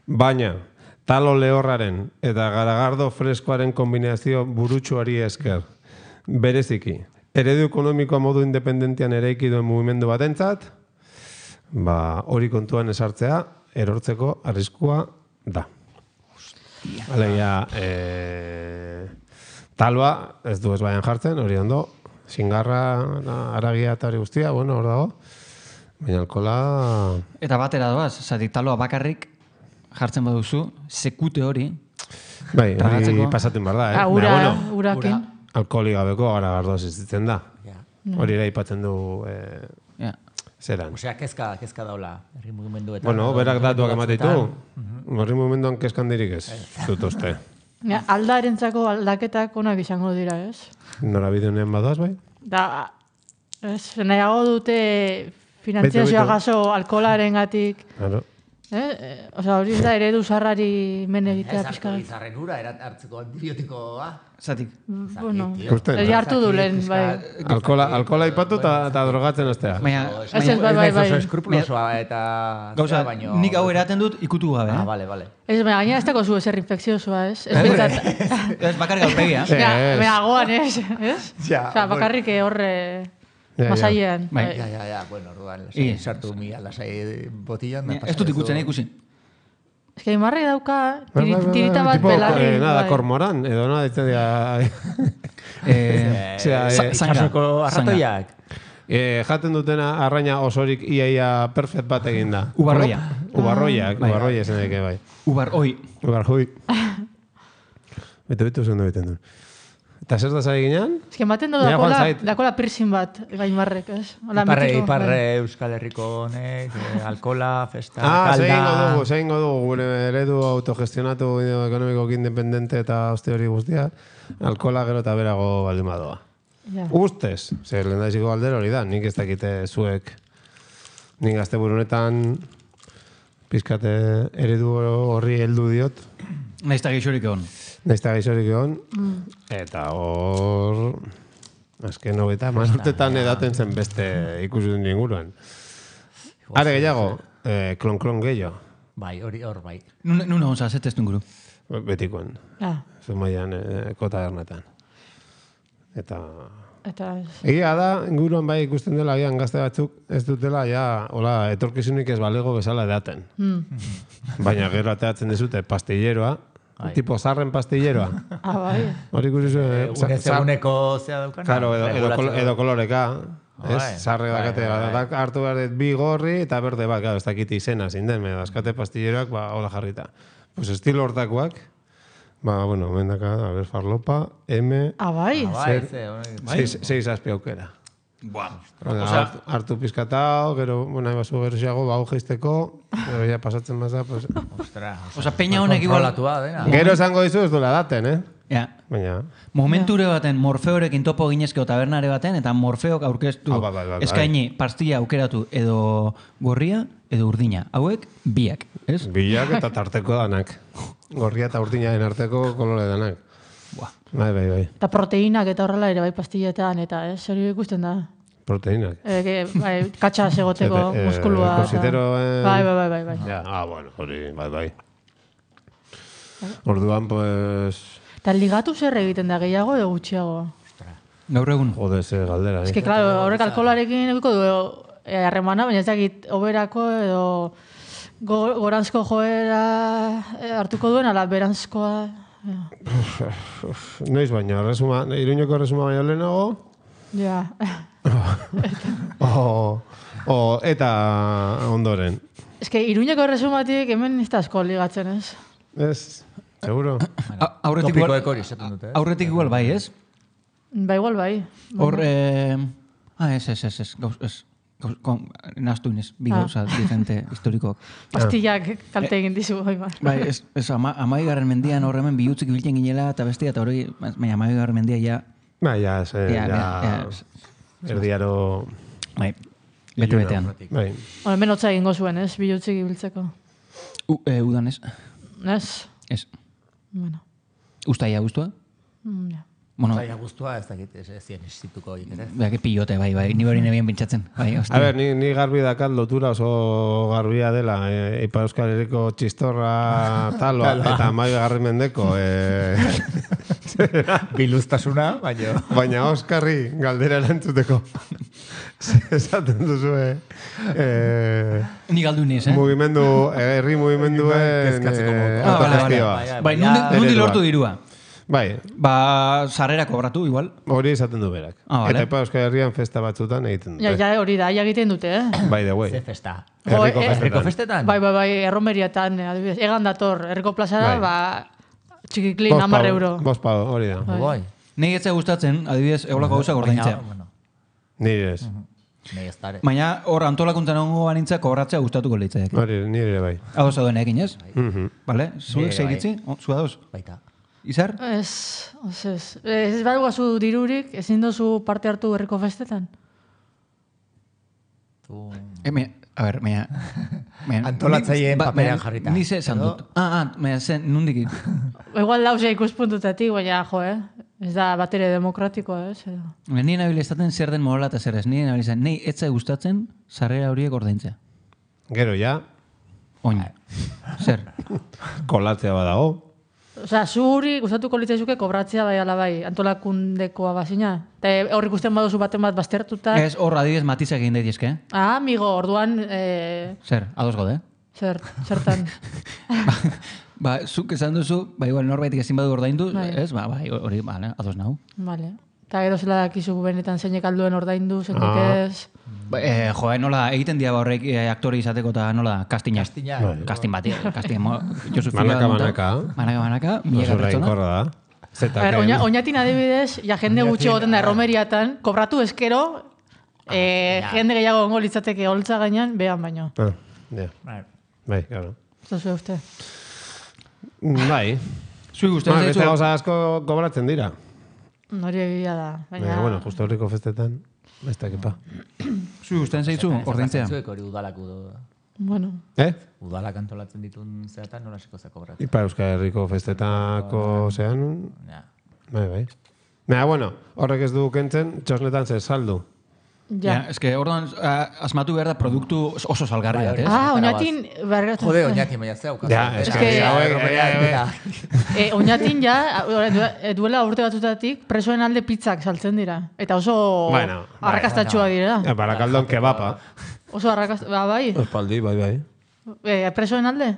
Baina, talo lehorraren eta garagardo freskoaren kombinazio burutsuari esker, bereziki, eredu ekonomikoa modu independentian eraiki duen mugimendu batentzat, ba, hori kontuan esartzea, erortzeko arriskua da. Alegia, eh, talba, ez du ez baian jartzen, hori ondo, singarra, aragia eta hori guztia, bueno, hor dago. Baina alkola... Eta batera doaz, zatik taloa bakarrik jartzen baduzu, sekute hori... Bai, hori pasatzen behar da, eh? Ah, ura, bueno, urakin. Alkoholi gabeko gara gardoz izitzen da. Yeah. Hori ere ipatzen du... Eh, yeah. Zeran. Osea, kezka, kezka daula, herri mugimenduetan. Bueno, berak datuak emateitu. Herri mugimenduan kezkan dirik ez, zutoste. Ja, aldarentzako aldaketak onak izango dira, ez? Nora bideonean badoaz, bai? Da, ez, nahiago dute finanziazioa gaso alkoholaren gatik. Claro. Eh? Osa, hori da eredu zarrari men egitea pizka. Ez hartu ura hartzeko antibiotikoa. Zatik. Bueno, ez hartu du lehen, bai. Alkola, alkola ipatu eta drogatzen aztea. Ez ez, bai, bai, bai. Oso eskrupulosoa eta... Gauza, nik hau eraten dut ikutu gabe, eh? Ah, bale, bale. Ez, baina gaina ez dago zu ezer infekziosoa, ez? Ez bintzat... Ez bakarrik alpegia. Baina goan, ez? Osa, bakarrik horre... Masailean. Ja, ja, ja, bueno, orduan, sartu mi alasai botillan. Ez dut ikutzen ikusi. Ez que imarri dauka, tirita bat belarri. Nada, kormoran, edo nada, ditzen dira... Zasoko arratoiak. Jaten dutena arraina osorik iaia perfect bat egin da. Ubarroia. Ubarroiak, ubarroia esan eke, bai. Ubarroi. Ubarroi. Bete-betu zen duen duen. Eta zer da zari ginean? Ez que ematen du dakola piercing bat, gaimarrek, ez? Iparre, iparre Euskal Herriko honek, alkola, festa, ah, kalda... Ah, zein dugu, zein dugu, gure eredu autogestionatu ekonomiko independente eta oste hori guztia, alkola gero eta berago baldimadoa. Ja. Ustez, zer lehen daiziko galdera hori da, nik ez dakite zuek, nik gazte burunetan, pizkate eredu horri heldu diot. Naizta geixorik egon. Naizta gaizorik egon, mm. eta hor... Azken hogeita, mazurtetan edaten zen beste ikusuten inguruan. Are gehiago, eh, klon-klon gehiago. Bai, hori hor bai. Nuna onza, zetez inguru? Betikoen. Ah. Zumaian, eh, kota ernetan. Eta... Egia da, inguruan bai ikusten dela, gian gazte batzuk, ez dutela, ja, hola, etorkizunik ez balego bezala edaten. Baina gero ateatzen dezute pastilleroa, tipo zarren pastilleroa. Ah, bai. Hori ikusi zuen. Une seguneko zea daukana. Claro, edo koloreka. Ez, zarre dakate, hartu behar bi gorri eta berde bat, ez dakit izena zinden, me dazkate pastilleroak, ba, hola jarrita. Pues estilo hortakoak, ba, bueno, mendaka, a ver, farlopa, M... Ah, bai? Seis azpi aukera. Buah. Hartu pizkatao, gero, bueno, basu gero xeago, bau geizteko, gero ya pasatzen maza, pues... Ostra, oza, peña honek igual... Gero esango dizu ez duela daten, eh? Ja. Baina... Momenture baten Morfeorekin topo ginezkeo tabernare baten, eta Morfeok aurkeztu eskaini pastilla aukeratu edo gorria edo urdina. Hauek, biak, ez? Biak eta tarteko danak. Gorria eta urdinaren arteko kolore danak. Buah. Bai, bai, bai. Eta proteinak eta horrela ere bai pastilletan, eta ez, hori ikusten da. Proteinak. Eh, bai, katxa segoteko muskulua. Kositero... Bai, bai, bai, bai. Ja, ah, bueno, hori, bai, bai. Orduan, pues... Eta ligatu zer egiten da, gehiago edo gutxiago? Gaur egun. Jode, ze galdera. Ez que, claro, horrek alkoholarekin egiko du harremana, baina ez dakit oberako edo goranzko joera hartuko duen, ala beranzkoa... Noiz baina, resuma, Iruñeko resuma baina lehenago? Ja. Eta ondoren. Ez que Iruñeko resumatik hemen ez da asko ligatzen, ez? Ez... Seguro. Aurretik igual, aurretik igual bai, ez? Ba, igual bai. Hor, eh... Ah, ez, ez, ez, ez, gauz, ez. Naztu inez, bi gauza diferente historikoak. Pastillak kalte egin dizu, bai, bai. Bai, ez, ez, amai garren mendian hor hemen bihutzik biltzen ginela eta bestia, eta hori, baina amai garren mendia ja... Ba, ja, ez, ja... Erdiaro... Bai, bete-betean. Bai. Hemen hotza egingo zuen, ez, bihutzik ibiltzeko. Udan ez. Ez? Ez. Bueno. Ustaia guztua? Mm, ja. Bueno, Ustaia guztua ez dakit, ez zien existituko egin, ez? Beha, que pillote, bai, bai, ni hori nebien pintzatzen. Bai, a ver, ni, ni garbi dakat lotura oso garbia dela. E, Ipa Euskal Herriko txistorra taloa eta mai garri mendeko. E... Biluztasuna, baina... Baina Oskarri galdera erantzuteko. Esaten duzu, eh? eh Ni galdu niz, eh? Mugimendu, herri mugimenduen autogestioa. Bai, nundi lortu dirua. Bai. Ba, sarrera kobratu, igual. Hori esaten du berak. Ah, vale. Eta Ipa Euskal Herrian festa batzutan egiten dute. Ja, ja, hori da, ja egiten dute, eh? By the way. Ze festa. Herriko Jo, festetan. Herriko festetan? Bai, bai, bai, erromeriatan, adibidez. Egan dator, herriko plazara, Bai. ba, txikiklin, hamar euro. Bost pau, hori da. Bai. Nei etza gustatzen, adibidez, eolako gauza gordaintzea. Nire ez. Nei ez dare. Baina hor antolakuntzan ongo banintza kobratzea gustatuko litzaiak. Hori, nire bai. Hau zauden egin, ez? Mhm. Bale? Zuek Nire zeiritzi? Zua dauz? Baita. Izar? Ez, ez, ez. Ez badugazu dirurik, ezin dozu parte hartu herriko festetan? Tu... E, me, a ber, mea... Antolatzaileen paperean jarrita. Ni ze esan dut. Ah, ah, mea, zen, nundik... Igual dauzea ikuspuntutatik, baina, jo, eh? Ez da batere demokratikoa, ez? Edo. Nien nabil estaten zer den mola eta zer ez. Nien nabil izan, nei etza gustatzen sarrera horiek ordaintzea. Gero ja, Oin. Zer? kolatzea badago. Osea, zuri gustatuko litzaizuke kobratzea bai ala bai, antolakundekoa bazina. Eta hor ikusten baduzu baten bat baztertuta. Ez, hor adibidez matizak egin daitezke. Ah, amigo, orduan... Eh, Zer, ados gode? zer, zertan. ba, ba, zuk esan duzu, ba, igual norbaitik ezin badu ordaindu, Bai. ez? Ba, bai, hori, bale, ados nau. Vale. Eta gero zela dakizu benetan zeinek alduen ordaindu, zeinek Ah. ez. Ba, eh, jo, eh, nola, egiten dira ba horrek eh, aktore izateko eta nola, kastina. Kastina. Kastin bat, eh, kastin. mo- Josu Manaka, Fila monta- manaka. Manaka, manaka, milaka Oso pertsona. reinkorra da. A Zetaken. ver, oina, oinatin adibidez, ja jende gutxi egoten da erromeriatan, kobratu eskero, eh, ja. jende gehiago ongo litzateke holtza gainean, behan baino. Ah, ja. Bai. Bai, claro. Zozu uste. Bai. Zui Ba, gustatzen beste zaizu. gauza asko kobratzen dira. Hori egia da. Baina, Baina, bueno, justo horriko festetan, ez dakipa. Zui gustatzen zaizu ordaintzea. Zuek hori udalak udo. bueno, Eh? Udalak antolatzen ditun zeatan nola seko zakobratzen. Ipa Euskal Herriko festetako zean, Ja. bai, bai. Baina, bueno, horrek ez du kentzen, txosnetan zer saldu. Ja, eske orduan asmatu behar da produktu oso salgarria, ez? Ah, oinatin... Jode, oinatin baina zeu. Ja, eske... Oinatin ja, duela urte batutatik, presoen alde pizzak saltzen dira. Eta oso arrakastatxua dira. Barakaldon kebapa. Oso arrakastatxua, bai? Espaldi, bai, bai. Presoen alde?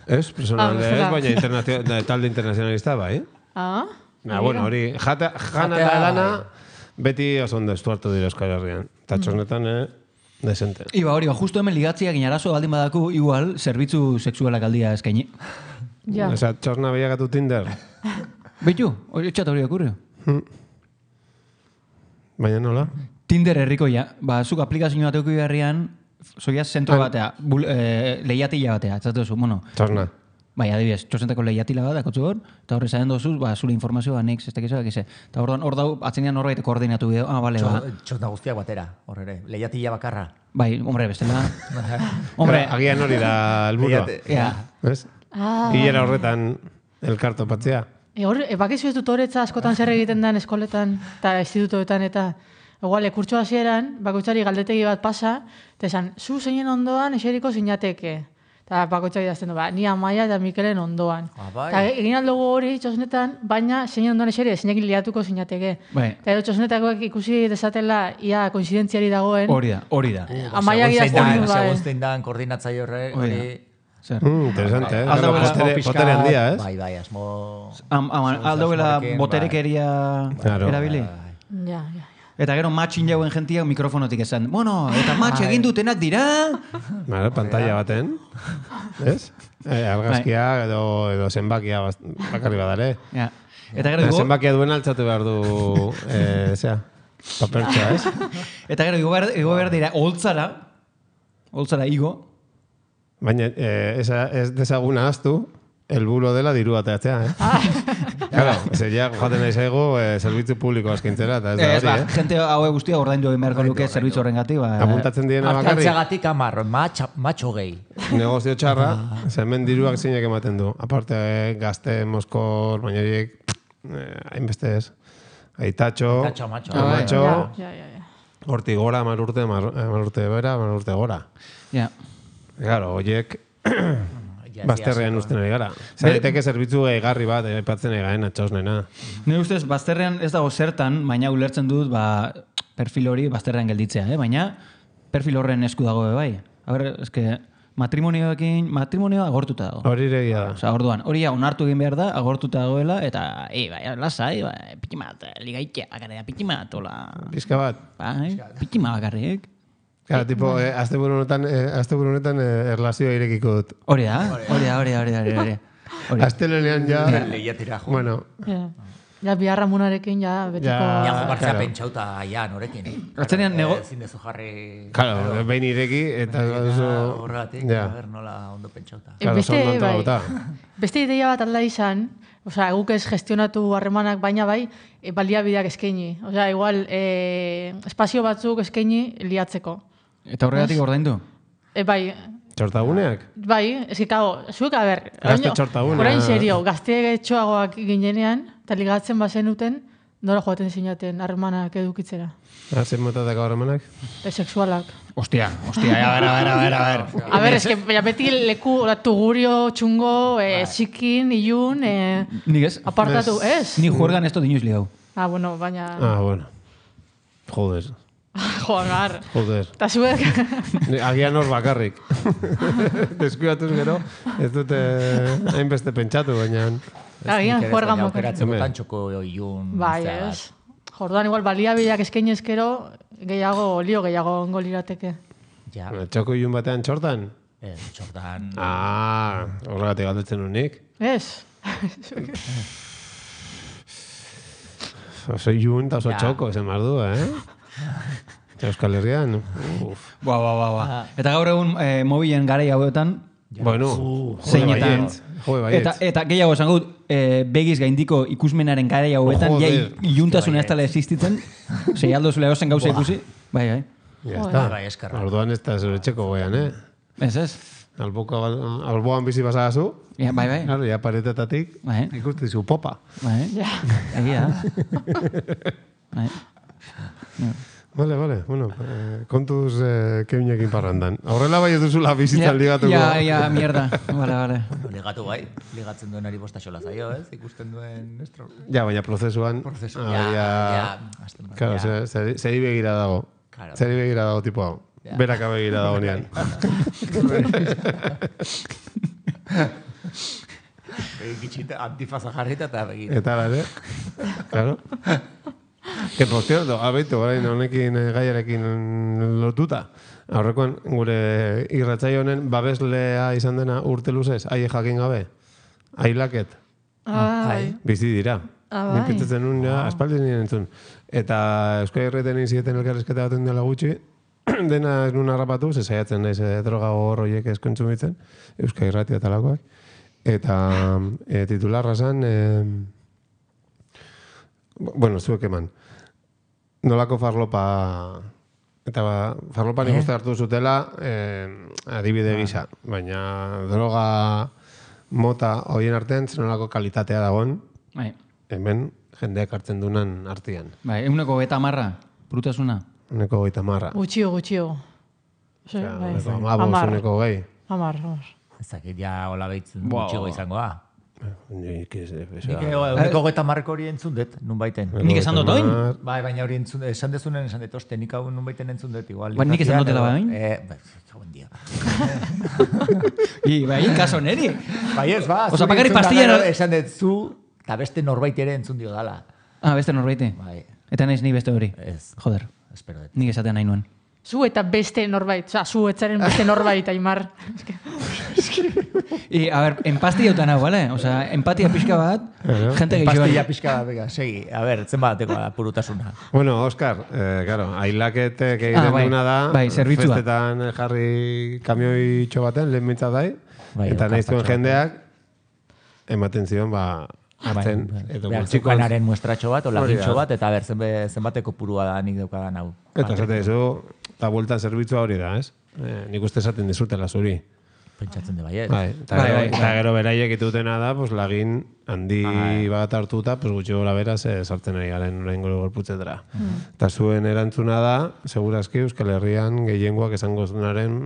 Ez, presoen alde ez, baina talde internazionalista, bai. Ah? Bueno, hori, jana eta lana... Beti oso ondo estuartu dira Euskal Herrian. Eta txosnetan, eh, desente. Iba, hori, justu hemen ligatzia ginarazo baldin badaku, igual, zerbitzu sexualak aldia eskaini. Ja. Esa, txosna bilakatu Tinder. Beitu, hori txat hori okurrio. Baina nola? Tinder herriko ja. Ba, zuk aplikazio bat euki beharrian, zoia zentro batea, lehiatila batea, txatu zu, bueno. Txosna. Bai, adibidez, txosentako lehiatila bat, akotzu hor, eta horre zahen dozuz, ba, zure informazioa, nik, ez tekizu, dakize. Eta hor dau, atzenean horbait koordinatu bideo, ah, bale, ba. Txosna guztiak batera, horre ere, lehiatila bakarra. Bai, hombre, bestela. Hombre, agian hori da helburua. Ja. ¿Ves? Hilera horretan elkarto patzea. E hor, bakizu ez dut horretza askotan zer egiten den eskoletan, eta institutoetan, eta igual, kurtso hasieran, bakoitzari galdetegi bat pasa, eta esan, zu zeinen ondoan eseriko zinateke. Eta bakoitzak idazten du, ba, ni Amaia eta Mikelen ondoan. Eta egin aldugu hori txosnetan, baina zein ondoan eseri, zeinekin liatuko zinateke. Eta edo txosnetakoek ikusi desatela ia koinzidentziari dagoen. Hori da, hori da. Amaiak idazten du, bai. Segun zein dan koordinatzai horre, hori... Interesante, eh? Botere handia, ez? Bai, bai, asmo... Aldauela boterekeria erabili. Ja, ja. Eta gero matxin jauen jentiak mikrofonotik esan. Bueno, eta matx egin dutenak dira. Bara, pantalla baten. Ez? Argazkia edo zenbakia bakarri badare. Eta gero igo... Zenbakia duen altzatu behar du... Zea, papertxa, ez? Eta gero igo behar dira holtzara. Holtzara igo. Baina ez desaguna aztu. Elburo dela diru bateatzea, eh? Claro, ze ja joaten nahi zaigu zerbitzu publiko askintzera, eta ez da hori, eh? Gente haue guztia ordaindu egin beharko luke zerbitzu horrengatik, ba... Apuntatzen diena bakarrik... Artantxagatik amar, matxo gehi. Negozio txarra, zemen diruak zeinak ematen du. Aparte, gazte, moskor, baina horiek, hainbeste ez. Aitatxo, amatxo, horti gora, mar urte, mar urte bera, mar urte gora. Ja. Claro, horiek... Bazterrean usten ari gara. Zareteke zerbitzu egarri bat, epatzen egaen atxausnena. Nire ustez, bazterrean ez dago zertan, baina ulertzen dut, ba, perfil hori bazterrean gelditzea, eh? Baina perfil horren esku dago, bai. A ber, eske, matrimonioekin, matrimonioa agortuta dago. Hori iregia da. Osa, orduan, hori ja, onartu egin behar da, agortuta dagoela, eta, ei, bai, lasai, bai, pitimat, ligaitea, bakarria, pitimat, hola. Pizka bat. Bai, pitimat bakarriek. Claro, tipo, eh, azte buru honetan, eh, azte buru honetan eh, erlazioa irekiko dut. Hori da, hori da, hori da, hori da, hori da. Azte lenean ja... Lehiatira, jo. Bueno. Ja, ja biharra munarekin, ja, betiko... Ja, jokartzea pentsauta, ja, norekin. Atzenean nego... Zindezu jarri... Claro, behin ireki, eta... Horregatik, a ver, nola ondo pentsauta. Beste ideia bat alda izan, osea, guk ez gestionatu harremanak, baina bai, baliabideak eskaini. Osea, igual, espazio batzuk eskaini liatzeko. Eta horregatik ordaindu? E, bai. Txortaguneak? Bai, ez que, kago, zuek, a ber... Gazte txortaguneak. Horain serio, gazte etxoagoak ginenean, eta ligatzen bazenuten, nola joaten zinaten harremanak edukitzera. Zer motatako harremanak? E, sexualak. Ostia, ostia, a ver, a ver, a ver, a ver. A ver, es que beti leku, tugurio, txungo, txikin, ilun, apartatu, ez? Ni juergan esto dinuz liau. Ah, bueno, baina... Ah, bueno. Joder. Joder. Joder. Ta zuek... Agian hor bakarrik. Deskuidatuz gero, ez dute hainbeste pentsatu, baina... Agian juergan moker. Aukeratzen botan txoko ilun... Bai, ez. Jordan, igual, baliabideak eskaini eskero, gehiago, lio gehiago ongo lirateke. Ja. Txoko ilun batean txortan? Ez, txortan... Ah, horregatik galdetzen unik. Ez. Oso ilun eta oso txoko, zen mardu, eh? Euskal Herrian. Ba, ba, ba, ba. Eta gaur egun mobilen garai hauetan, bueno, zeinetan... Eta, eta gehiago esan gut, e, begiz gaindiko ikusmenaren garai hauetan, ja iluntasuna ez tala existitzen, zei aldo zule gozen gauza ikusi, bai, bai. Ya está. Orduan ez da zure txeko goian, eh? Ez, ez. Alboan bizi basagazu. Ja, bai, bai. Claro, ya paretetatik ikusti zu popa. Bai, egia. Bai. Vale, vale, bueno, eh, kontuz eh, keunekin parrandan. Aurrela bai duzula bizitzan ligatuko. Ja, ja, mierda. Vale, vale. Ligatu bai, ligatzen duenari bostaxola zaio, ez? Ikusten duen... Estro... Ja, baina prozesuan... Prozesuan, ah, ja, ja. Claro, ja. Zeri, zeri begira dago. Claro. Zeri begira dago, tipo hau. Ja. Beraka begira dago nian. Begitxita, antifaza jarrita eta begira. Eta, bale? Claro. Que por cierto, abeitu, orain honekin gaiarekin lotuta. Aurrekoan gure irratsaio honen babeslea izan dena urte luzez, aie jakin gabe. Ailaket. Ai. Bizi dira. Bai. Nik pentsatzen nun, ja, aspaldi nien entzun. Eta Euskal Herreten inzieten elkarrizketa baten dela gutxi, dena ez nun harrapatu, ze saiatzen naiz e, droga horroiek eskentzumitzen, Euskal Herratia talakoak. Eta e, titularra zen... E, bueno, zuek eman. Nolako farlopa... Eta ba, farlopa nik uste hartu zutela eh, adibide gisa. Baina droga mota hoien artean zenolako kalitatea dagoen. Bai. Hemen jendeak hartzen dunan artean. Bai, eguneko beta marra, brutasuna. Uneko goita marra. Gutxio, gutxio. Sí, Osea, bai. uneko amabos, uneko gehi. Amar, amar. Ezakit ja hola behitzen gutxigo izangoa. Nik ez... Nik uneko goeta marreko hori entzun dut, nun baiten. Nik esan dut oin? Bai, baina hori entzun, esan dezunen esan dut, oste, nik hau nun baiten entzun dut igual. Ba, nik esan dutela bain? Eh, bai, buen dia. I, bai, kaso neri. Bai ez, ba. Osa, bakarrik pastilla... Esan dut zu, eta beste norbait ere entzun dio dala. Ah, beste norbaite? Bai. Eta naiz ni beste hori? Ez. Joder. Espero dut. Nik esaten nahi nuen. Zu eta beste norbait, oza, zu etzaren beste norbait, Aimar. I, a ver, empastia utan hau, vale? Osa, empatia pixka bat, gente gehiago. Empastia pixka bat, venga, segi. A ver, zen bateko purutasuna. Bueno, Óscar, eh, claro, ailaketek egiten ah, bai, duna da, bai, zerbitzua. Festetan jarri kamioi txobaten, lehen mintzat dai, bai, eta nahi zuen jendeak, ematen zion, ba, hartzen, edo gutxikoz. Zukanaren muestratxo bat, o lagintxo bat, eta ber, zenbateko purua da nik daukadan hau. Eta esate dizu, eta bueltan zerbitzua hori da, ez? Eh, nik uste esaten dizutela zuri. Pentsatzen de baiet. Bai, eta bai, gero, bai, eta gero beraiek itutena da, pues, lagin handi Ai. bat hartuta, pues, gutxi gora beraz eh, sartzen ari garen orain gero gorputzetara. Eta zuen erantzuna da, segurazki Euskal Herrian gehiengoak esango zunaren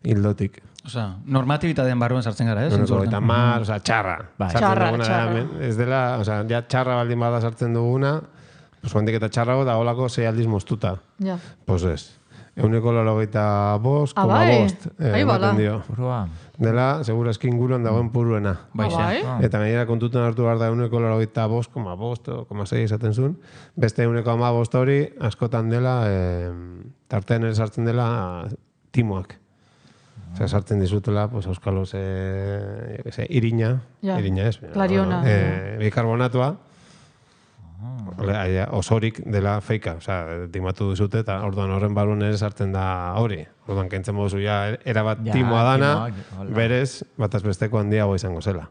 hildotik. Osa, normatibitatean barruan sartzen gara, eh? Uneko eta mar, oza, txarra. Bai. Sartzen Txarra, duguna txarra. da, hemen. Ez dela, oza, ja txarra baldin bada sartzen duguna, pues, guantik eta txarrago da holako sei aldiz moztuta. Ja. Pues ez. Euneko laurogeita bost, Ah, koma bai? bost. eh, Ai, bala. ematen dio. Purua. Dela, segurazki inguruan dagoen puruena. Bai, Ah, bai? Eta gainera kontutan hartu behar da euneko laurogeita bost, koma bost, koma sei esaten zuen. Beste euneko ama bost hori, askotan dela, eh, tartean ere sartzen dela timoak. Osea, sartzen dizutela, pues, auskaloz, eh, yo que sé, irina, Ja. irina ez. Klariona. Eh, bikarbonatua, ah. osorik dela feika, osea, timatu duzute, eta orduan horren barun ere sartzen da hori. Orduan, kentzen moduzu, ja, erabat Ja, timoa dana, timoak, hola. berez, bataz besteko handiago izango zela.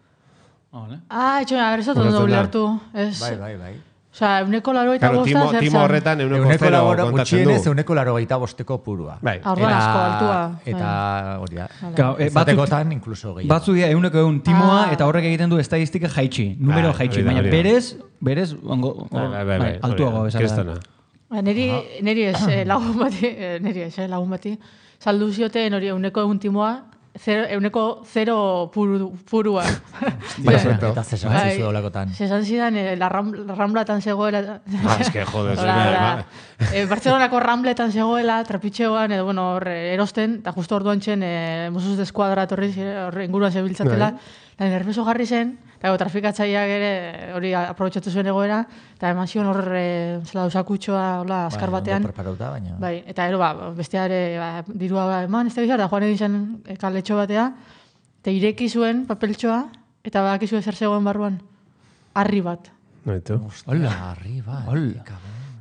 Vale. Ah, etxo, a ver, ez dut ondo Ulertzen da. ulertu. Ez, Bai, bai, bai. Osea, euneko laro eta Claro, bosta, timo, zer timo zan? horretan euneko Euneko zero labora, kontatzen gutxienez, du. euneko laro gaita bosteko purua. Bai. Ah, orduan asko, altua. Eta hori da. Gau, eh, batzuk, Zatekotan, inkluso gehiago. batzu dira euneko egun timoa, Ah. eta horrek egiten du estadistika jaitsi, numero Bai, jaitsi, hori da, baina hori da. berez, berez, ongo, Bai, bai, bai, bai, altuago hori da, bezala. kristona. Ba, neri, neri ez, eh, lagun bati, eh, neri ez, eh, lagun bati, saldu zioten hori euneko egun timoa, zero, euneko zero puru, purua. Bai, Perfecto. eta zesan Bai. zizu olakotan. Zesan zidan, eh, la, ram, la ramblatan zegoela. Ah, es que, joder, Hola, zure, hola. ba- Eh, Bartzelonako rambletan zegoela, trapitxeoan, edo, bueno, hor, eh, erosten, eta justo orduan txen, eh, Mossos de Eskuadra etorri, zire, hor inguruan zebiltzatela, eta nervioso jarri zen, eta go, trafikatzaileak ere hori aprobetxatu zuen egoera, eta eman zion hor, eh, zela usakutxoa, hola, azkar Bai, batean. ondo preparauta, baina. Bai, eta ero, ba, bestea ere, ba, dirua ba, eman, ez da bizar, da joan egin zen eh, kaletxo batea, eta ireki zuen papeltxoa, eta badakizu zer zegoen barruan, harri bat. Noitu. Hola, arriba. Hola.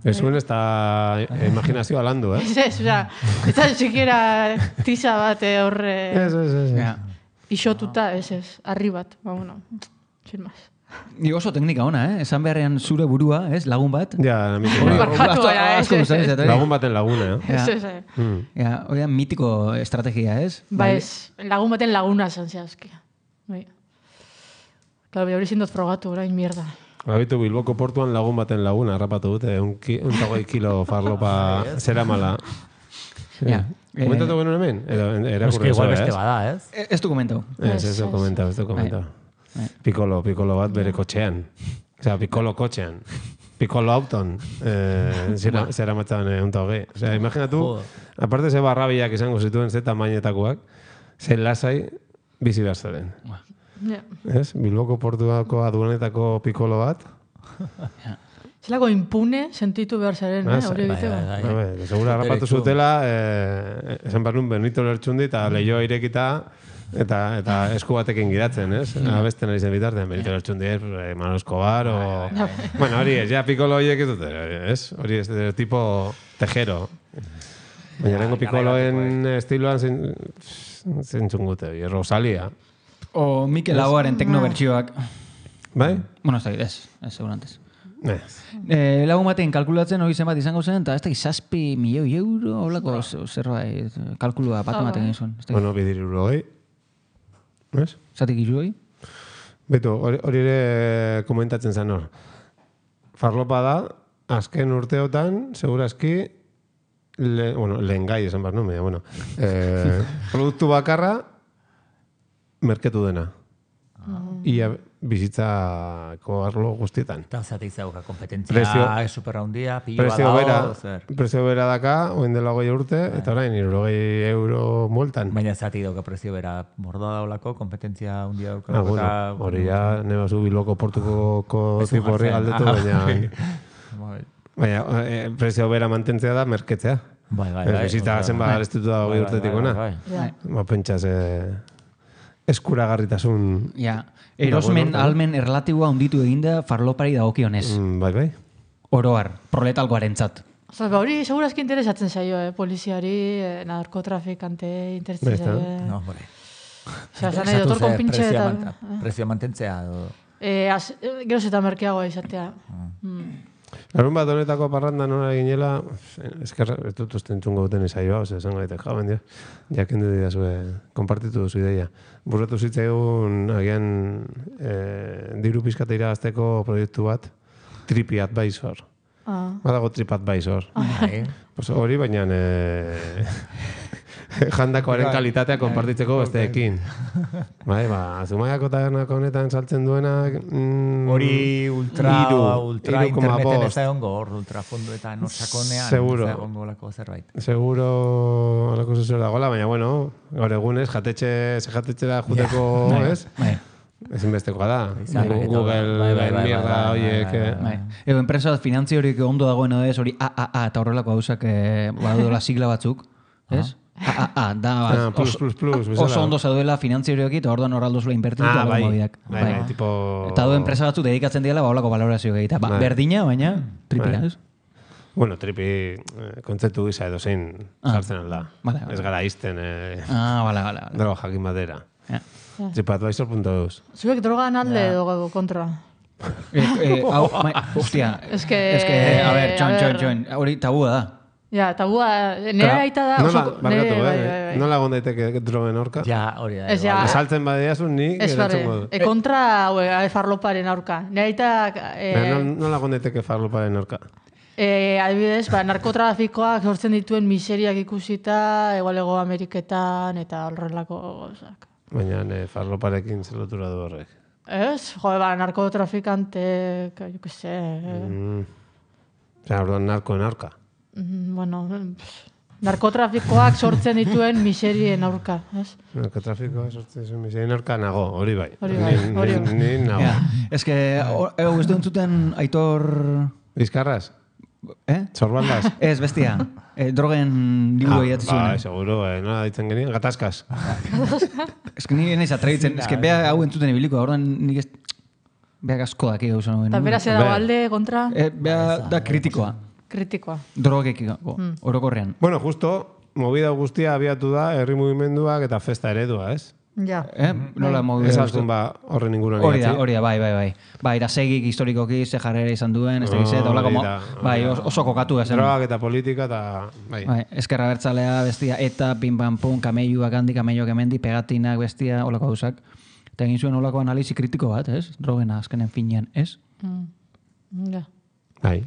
Ez zuen ez da imaginazioa landu, eh? Ez ez, oza, ez da siquiera tiza bat eh, hor eh, Ez, ez, ez. Ja. isotuta, ez ez, harri bat, ba, bueno, sin más. Ni oso teknika ona, eh? Esan beharrean zure burua, ez? Lagun bat. Ja, mitiko. Hori, Barkatu, asko- baina, ez, asko ez, gustatzen ez. zait, hori. Lagun baten laguna, eh? Ja. Ez ez, eh. Mm. Ja, hori da mitiko estrategia, ez? Ba ez, lagun baten laguna zan zehazki. Bai. Claro, hori zindot frogatu, orain mierda. Gabitu Bilboko portuan lagun baten lagun, harrapatu dute, un tagoi kilo farlopa zera mala. Ja. Komentatu genuen hemen? Ez que igual beste bada, ez? Ez du komentau. Ez, ez du komentau, ez du komentau. Pikolo, pikolo bat bere kotxean. Osea, pikolo kotxean. Pikolo auton. Zera matzan un tagoi. Osea, imaginatu, aparte ze barrabiak izango zituen ze tamainetakoak, ze lasai bizi behar zaren. Ez? Bilboko portuako aduanetako pikolo bat. Zelako impune sentitu behar zaren, hori egiteko. Segura harrapatu zutela, esan behar nun Benito Lertxundi eta lehioa irekita eta esku batekin gidatzen, ez? Abesten ari zen bitartean, Benito Lertxundi, Manolo Escobar, o... Bueno, hori ez, ja pikolo horiek ez dute, ez? Hori ez, tipo tejero. Baina nengo pikoloen estiloan zentzungute, Rosalia. O Mikel Laboaren teknobertsioak. Bai? Bueno, ez da, ez, ez, segurantez. Ez. Eh, lagun batean kalkulatzen hori zenbat izango zen, eta ez da, zazpi milioi euro, holako zerbait, kalkulua bat ematen gizun. Bueno, bidir irurogei. Ez? Zatik irurogei? Beto, hori ere komentatzen zen hor. Farlopa da, azken urteotan, segurazki, le, bueno, lehen gai esan behar nomea, bueno, eh, produktu bakarra, merketu dena. Ia bizitzako arlo guztietan. Eta zatik zauka kompetentzia, superra hundia, pilloa dago, zer? Prezio bera daka, oen dela goi urte, eta orain, irurogei euro multan. Baina zatik dauka prezio bera mordoa daulako, kompetentzia hundia dauka. Ah, bueno, hori ja, neba zu Bilboko portuko tipo horri galdetu, baina... Baina, prezio bera mantentzea da, merketzea. Bai, bai, bai. Bizitza zenba gareztitu da goi urtetik ona. Ba, pentsaz... eskuragarritasun... Ja, erosmen almen erlatiboa hunditu eginda farlopari dagokionez. Mm, bai, bai. Oroar, proletalgoaren zat. Osa, ba, hori segurazki interesatzen zaio, eh? Poliziari, eh, narkotrafikante interesatzen zaio. Eh? No, bore. Osa, zan nahi dotor konpintxe eta... Prezio mantentzea, edo... Eh, geroz eta merkeagoa izatea. Mm. Larun bat honetako parranda nora ginela, eskerra, ez dut usten txungo duten izaioa, ose, esan gaitek, jaben dio, jaken du didazue, konpartitu duzu ideia. Burretu zitzaigun, agian, eh, diru pizkate iragazteko proiektu bat, TripAdvisor. Ah. Badago TripAdvisor. Ah. Pues hori, baina eh, jandakoaren kalitatea konpartitzeko besteekin. Bai, ba, Zumaiako tabernako honetan saltzen duena... Hori mm, ultra, iru, ultra iru interneten ez da egongo, hor ultrafondoetan orsakonean ez da egongo lako zerbait. Seguro alako zuzera dagoela, baina bueno, gaur egunez, jatetxe, ze jatetxe da juteko, ez? Bai. Ezinbestekoa da. Google, mierda, horiek... Ego, enpresa finantzi horiek ondo dagoena ez, hori A A A eta horrelako gauzak badola sigla batzuk, ez? A A A, da, plus, plus, plus, oso ondo zaduela finantzi horiek eta orduan horraldo zula invertitu ah, bai, bai, bai, tipo... Eta du enpresa batzu dedikatzen diela baolako valorazio gehieta. Ba, berdina, baina tripila, ez? Bueno, tripi kontzeptu gisa edo zein sartzen alda. Ez gara izten ah, bala, bala, bala. droga jakin batera. TripAdvisor punto eus. Zuek drogan alde edo kontra? Hostia, ez que, a ver, txon, txon, txon, hori tabua da. Ja, tabua, nera aita da... Nola, barkatu, eh? Nola egon daiteke drogen aurka? Ja, hori da. Esaltzen badeazun nik... Ez barre, e kontra farloparen aurka. Nera aita... Nola egon daiteke farloparen aurka? Adibidez, narkotrafikoak sortzen dituen miseriak ikusita, egualego Ameriketan eta horrelako gozak. Baina farloparekin zelotura du horrek. Ez, jode, ba, narkotrafikantek, jo que se... Zer, orduan narkoen aurka. Bueno, narkotrafikoak sortzen dituen miserien aurka, ez? Narkotrafikoak sortzen dituen miserien aurka nago, hori bai. Hori bai, hori bai. Ni nago. Ez que, ego, ez duen zuten Aitor... Bizkarraz? Eh? Zorbaldas? Ez, bestia. Drogen liburu egiatzen zuen. Ba, seguro, nola ditzen genien, gatazkaz. Ez que nire nahiz atrebitzen, ez que beha hau entzuten ibiliko, orduan nik ez... Beha asko daki gauza nuen. Eta bera zeda balde kontra? Beha da kritikoa. Kritikoa. Drogekiko, orokorrean. Bueno, justo, movida guztia abiatu da, herri mugimenduak eta festa eredua, ez? Ja. Eh? Nola movida ez azkun ba horren inguruan idatzi. Hori da, hori da, bai, bai, bai. Bai, irasegik historikoki ze jarrera izan duen, ez da gizet, hola como, bai, oso kokatu ezen. Drogak eta politika eta, bai. Bai, eskerra bertzalea bestia, eta pim pam pum, kameioak handi, kameioak emendi, pegatinak bestia, holako gauzak. Eta egin zuen holako analizi kritiko bat, ez? Drogena azkenen finean, ez? Mm. Ja. Bai.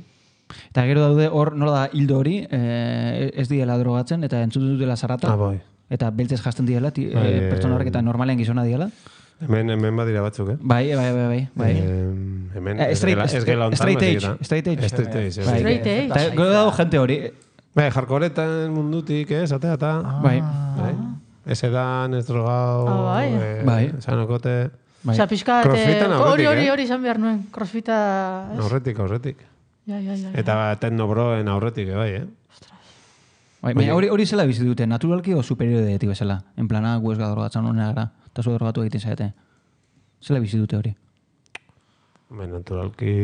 Eta gero daude hor nola da hildo hori, eh, ez diela drogatzen, eta entzuten dutela zarrata. Ah, bai. Eta beltzez jasten diela, ti, eh, pertsona horrek eta normalean gizona diela. Hemen, hemen badira batzuk, eh? Bai, bai, bai, bai. bai. Eh, hemen, Eh, ez straight- gela, ez gela ontan. straight baizik age, eta- straight age. Straight age, Bai. Straight age. Eta gero dago jente hori. Bai, jarkoretan mundutik, eh, zatea eta... Bai. Bai. Ez edan, ez drogau... Ah, bai. eh, Bai. Sanokote... Bai. Osea, pixka, Crossfitan aurretik, hori hori eh? hori izan behar nuen. Crossfita... ez? Aurretik, aurretik. Ja, ja, ja. ja. Eta teknobroen aurretik, eh, bai, eh? Bai, baina hori hori zela bizi dute, naturalki o superioridetik bezala. En plana, gu ez gadrogatzen honera gara, eta zu drogatu egiten zaite. Zela bizi dute hori. Bai, naturalki...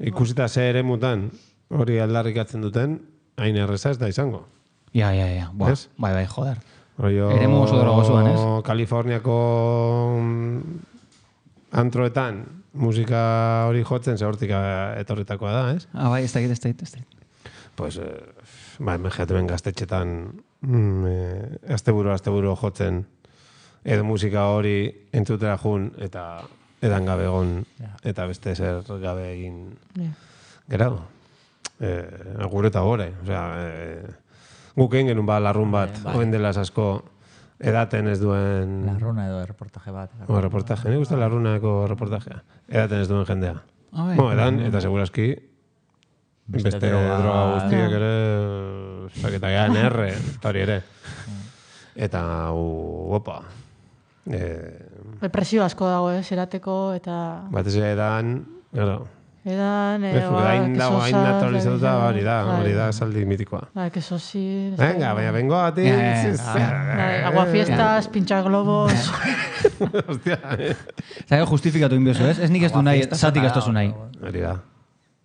Ikusita ze ere mutan, hori aldarrikatzen duten, hain erreza ez da izango. Ja, ja, ja. Buah, Ez? bai, bai, joder. Rollo... Eremu oso drogozuan, ez? Kaliforniako mm, antroetan musika hori jotzen, ze hortik eh, etorritakoa da, ez? Ah, bai, ez da egit, ez da egit, ez da egit. Pues, eh, ba, hemen jaten gaztetxetan mm, eh, asteburu, asteburu jotzen edo musika hori entzutera jun eta edan gabe egon eta beste zer gabe egin Ja. gerau. Eh, gure eta gore. Osea, eh, guk egin genuen ba larrun bat, Bai. hoen dela asko edaten ez duen... Larruna edo reportaje bat. O, reportaje, nik uste larrunako reportajea. Edaten ez duen jendea. Ah, bai. Bueno, edan, eta segurazki Beste beste droga- droga guztiak ere, eta gehan erre, eta hori ere. Eta, u, opa, eh, Depresio asko dago, ez, erateko, eta... batez ere edan, claro, Edan, eh, ez, ba, hain dago, hain kesosa, naturalizatuta, bai, hori da, bai. hori da saldi mitikoa. Bai, kesosi... ez Venga, da- baina bengo gati, Ja, ja, ja. Bai, aguafiestas, pintxa globos... hostia, eh. Eta gero justifikatu inbezu, ez? Ez nik ez du nahi, zatik ez tozu nahi. hori da.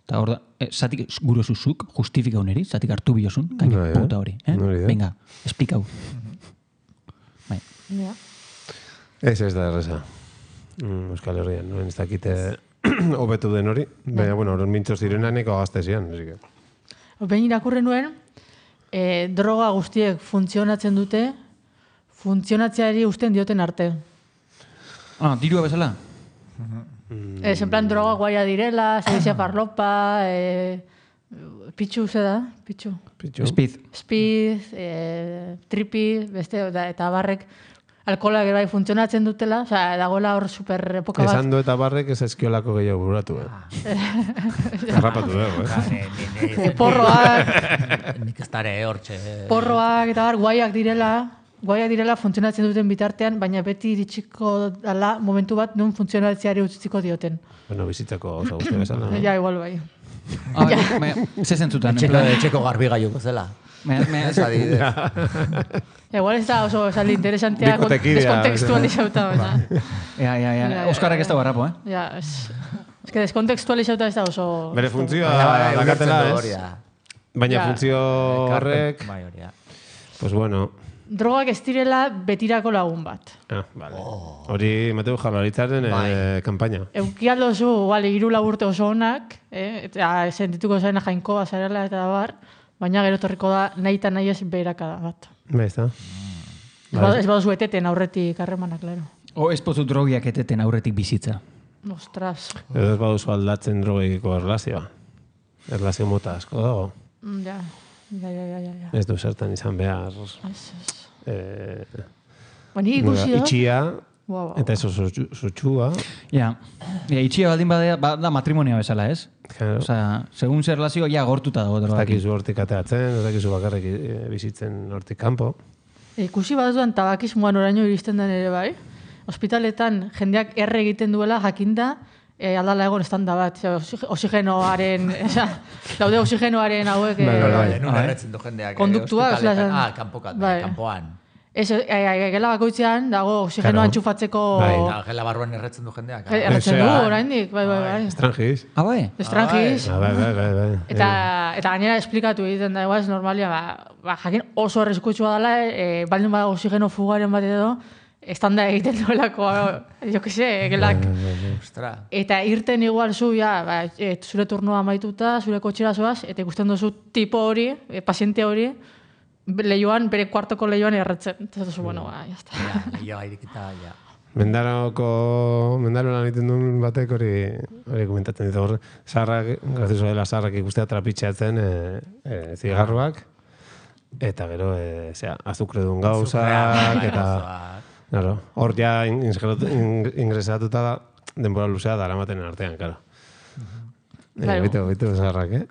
Eta hor da, eh, zatik guro zuzuk, justifika uneri, zatik hartu bilozun, kaino, Bai, eh? puta hori. Eh? Hori da. Venga, esplikau. Bai. Ja. Ez ez da erreza. Mm, Euskal Herrian, no? Ez dakite hobetu den hori. Baina, bueno, horren mintzo zirenaneko gazte zian. así que. Behin irakurri nuen, eh, droga guztiek funtzionatzen dute, funtzionatzeari usten dioten arte. Ah, dirua bezala? Ez, en plan, droga guaia direla, sedizia farlopa, eh, pitxu, ze da? Pitxu. Pitxu. Speed. Speed, eh, tripi, beste, da, eta barrek, alkohola gero bai funtzionatzen dutela, osea, dagoela hor super epoka bat. Esan du eta barrek ez eskiolako gehiago buratu, eh? Garrapatu dugu, eh? Porroak, Nik ez dara hortxe. porroak eta bar, guaiak direla, guaiak direla funtzionatzen duten bitartean, baina beti iritsiko dala momentu bat non funtzionatzeari utziko dioten. Bueno, bizitzako oso guzti bezala. no? Ja, igual bai. Ah, bai, baina, ze zentzutan. en Etxeko, plan, etxeko garbi gaiuko zela. baina- baina- Ez adibidez. Ja, igual ez da oso esaldi interesantea Bikotekidea, deskontekstualizauta, baina. Ja, ja, ja. Ja, Oskarrak ja, ez da barrapo, eh? Ja, ez... Ez que deskontekstualizauta ez da oso... Bere funtzioa Baina, bai, dakatela ulertzen du ez. hori da. Baina Ja. funtzio horrek, Bai, hori da. pues bueno, Drogak ez direla betirako lagun bat. ah, vale. Hori Mateu Jaurlaritzaren eh, kanpaina. Eukialdo zu, bale, hiru lau urte oso onak, eh? Eta sentituko zaina jainkoa zarela eta bar, baina gero torriko da nahi eta nahi ez beherakada bat. Bai, ez da. Ez badu- Ez baduzu eteten aurretik harremanak, klaro. O ez pozu drogiak eteten aurretik bizitza. Ostras. Edo ez baduzu aldatzen drogekiko erlazioa. Erlazio mota asko dago. Mm, Ja, ja, ja, ja, ja. ja. Ez du zertan izan behar. Ez, ez. Eh, Baina ikusi dut. itxia, Wow, wow. eta eso zutxua. Ja, ja itxia baldin badea, ba, da matrimonia bezala, ez? Claro. Osea, segun zer relazio, ja gortuta dago Ez drogak. dakizu hortik ateatzen, ez dakizu bakarrik eh, bizitzen hortik kanpo. Ikusi baduan tabakismoan oraino iristen den ere bai. Ospitaletan jendeak erre egiten duela jakinda e, aldala egon estanda bat. Ze, oxig- Oxigenoaren, eza, daude oxigenoaren hauek... Bai, eh, bai, bai. Nun erretzen du jendeak. eh, Konduktuak, ospitaletan. osea, Ah, kanpokat, bai. kanpoan. Ez, e, e, gela bakoitzean dago oxigenoa Claro. entxufatzeko... Bai. Eta gela barruan erretzen du jendeak. Eh, Erretzen du, Osea, oraindik, bai, bai, bai. Estrangiz. Ah, bai? Estrangiz. Ah, bai, bai, bai, bai. Eta, eta gainera esplikatu egiten da, igual, ez normalia, ba, ba, jakin oso arriskutsua dela, e, baldin bada oxigeno fugaren bat edo, estanda egiten duelako, jo que se, gelak. Ostra. Eta irten igual zu, ja, ba, e, zure turnoa amaituta, zure kotxera zoaz, eta ikusten duzu tipo hori, e, paziente hori, leioan, bere kuartoko leioan erretzen. Eta duzu, bueno, ba, jazta. Ja, lehioa irikita, ja. Mendaroko, mendaro lan egiten duen batek hori hori komentatzen ditu hor, zaharrak, grazioso dela zaharrak ikustea trapitxeatzen e, e, zigarruak, eta gero, e, zera, azukre duen gauzak, eta claro, hor ja ingresatuta da, denbora luzea dara maten artean, claro. Claro. Bitu, bitu zaharrak, eh?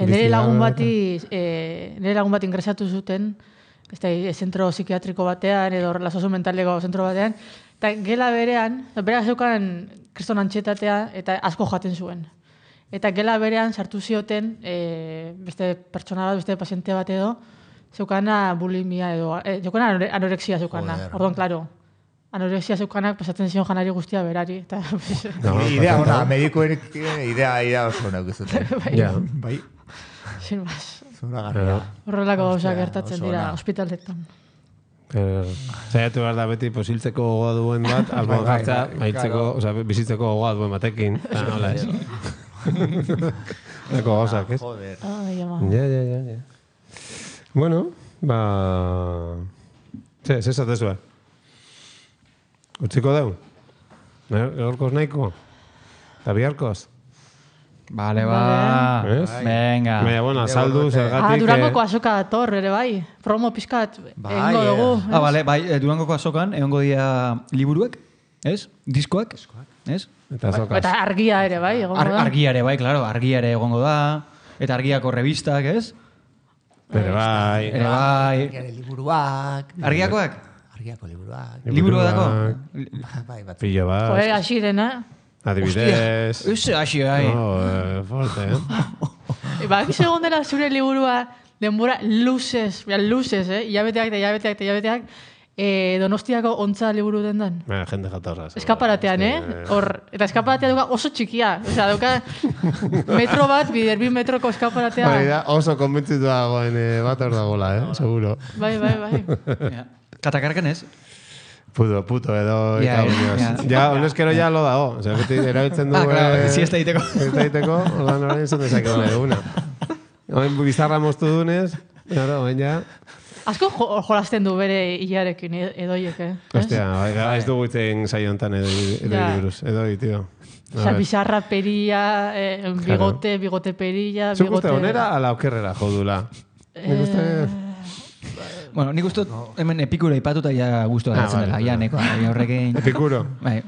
Nire lagun bati, eh, nire lagun bat ingresatu zuten, ez da, zentro psikiatriko batean, edo relazioso mentaleko zentro batean, eta gela berean, berak zeukan kriston antxetatea, eta asko jaten zuen. Eta gela berean sartu zioten, e, beste pertsona bat, beste paziente bat edo, zeukana bulimia edo, e, zeukana anorexia zeukana. Orduan, klaro, anorexia zeukanak pasatzen zion janari guztia berari. Eta, pues, no, idea ona, medikoen idea, idea oso honak izuten. Ja, bai. Sin más. Zora garria. Horrelako gauzak gertatzen dira ospitaletan. Zaiatu behar da beti posiltzeko gogoa duen bat, albo gartza, maitzeko, oza, bizitzeko gogoa duen batekin. Hola, ez? Eko gauzak, ez? Joder. Ja, ja, ja, ja. Bueno, ba... Ze, ze zatezua? Utziko deu? Gaurkoz nahiko? Eta biharkoz? Vale, ba. Venga. Baina, bueno, saldu, zergatik... Ah, Durangoko azoka dator, ere bai. Promo pizkat, egingo dugu. Ah, vale, bai, Durangoko azokan, egongo dia liburuak, ez? Diskoak, ez? Eta azokaz. Eta argia ere bai, egongo da. Argia ere bai, klaro, argia ere egongo da. Eta argiako revistak, ez? Ere bai. Ere bai. Argiako liburuak. Argiakoak? Argiako liburuak. Liburua dako? Bai, bat. Pillo bat. Joe, asirena. Adibidez. Uze, hasi, bai. No, eh, forte, eh? Ba, aki segon dela zure liburua denbora luzez, ja, luzez, eh? Iabeteak eta iabeteak eta iabeteak, eh, Donostiako ontza liburu dendan. Baina, jende jatorra. Eskaparatean, eh? Hor, eta eskaparatea duka oso txikia. Osea, duka metro bat, bider bi metroko eskaparatea. Bai, da, oso konbentzitu dagoen eh, bat hor dagoela, eh? Seguro. Bai, bai, bai. Katakarken ez? Puto, puto, edo Ja, ikabunioz. ja. Ja, honezkero ja lo dago. Osea, beti erabiltzen du... Ah, claro, eh, siesta egiteko. Siesta egiteko, ordan orain zuen dezake hona eguna. Oain bizarra moztu dunez, claro, oain ja... Asko jo, jolasten du bere hilarekin edoiek, eh? Ostia, bai, ez dugu itzen saio honetan edoi Ja. buruz. Edoi, tio. Osea, bizarra peria, eh, bigote, bigote perilla, Zuk bigote... uste onera ala okerrera jodula? Nik uste... Bueno, nik uste hemen epikuro ipatuta ja guztua Ah, gertzen vale, dela. vale. Ja, neko, ja horrekin... Epikuro. Bai.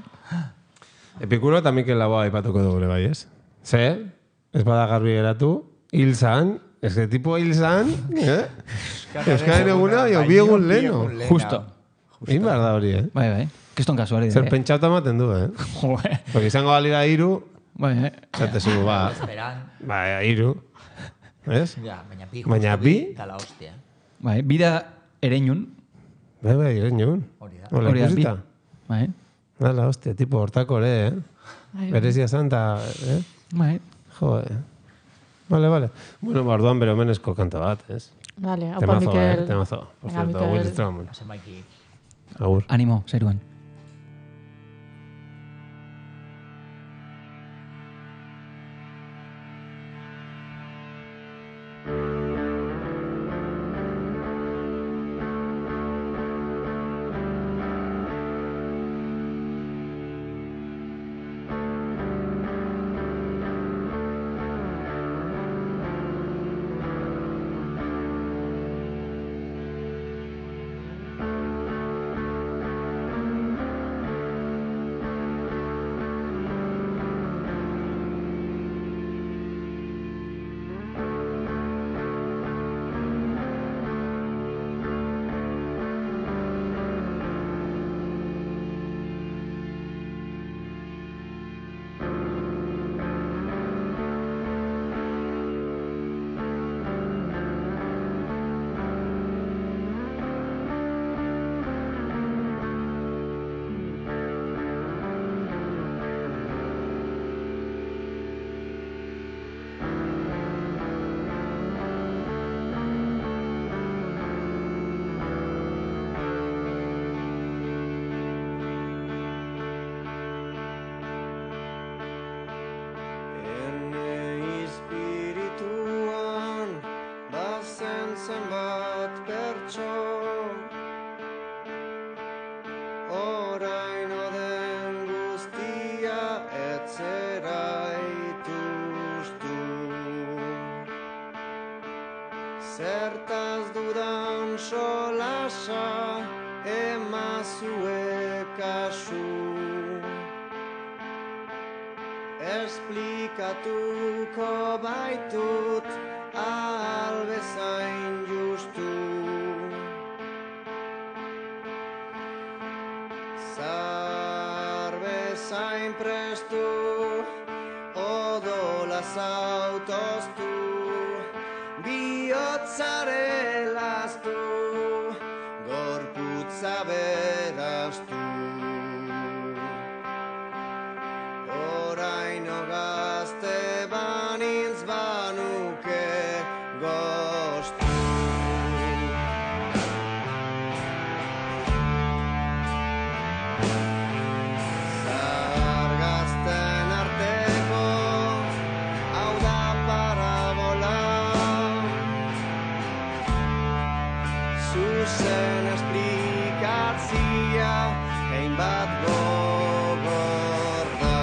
Epikuro eta Mikel Laboa ipatuko dugu ere bai, ez? Ze, ez bada garbi geratu, hil zan, ez que tipo hil zan, eh? Euskaren eguna, jo, bi egun leno. Justo. Egin behar da hori, eh? Bai, bai. Kiston kasuari. Zer pentsauta ematen du, eh? Joe. Porque izango balira hiru, Bai, eh. zate zu, ba, Esperan. ba, hiru, ez? Ja, baina bi. Baina justu bi? Da la hostia. Bai, bida ereinun. Bai, bai, iren joan. Hori da. Hola, Hori da, bi. ikusita. Bai. Hala, hostia, tipo hortako ere, eh? Bai, bai. Berezia zanta, eh? Bai. Joder. Vale, vale. Bueno, ba, orduan bere omenezko kanta bat, ez? Vale, haupa Temazo, Mikel. eh? Temazo. Por Venga, cierto, Mikel. Will Strauman. Hase maiki. Agur. Animo, zeruan. Thank solasa emazue kasu. Esplikatuko baitut albezain justu. Zar bezain prestu, odola zautoztu, bihotzare laztu, gorputza beraztu. Oraino gazte banintz banuke goztu. Zahar gazten arteko, hau da parabola. Zuzen esplikatzia, hainbat gogor da.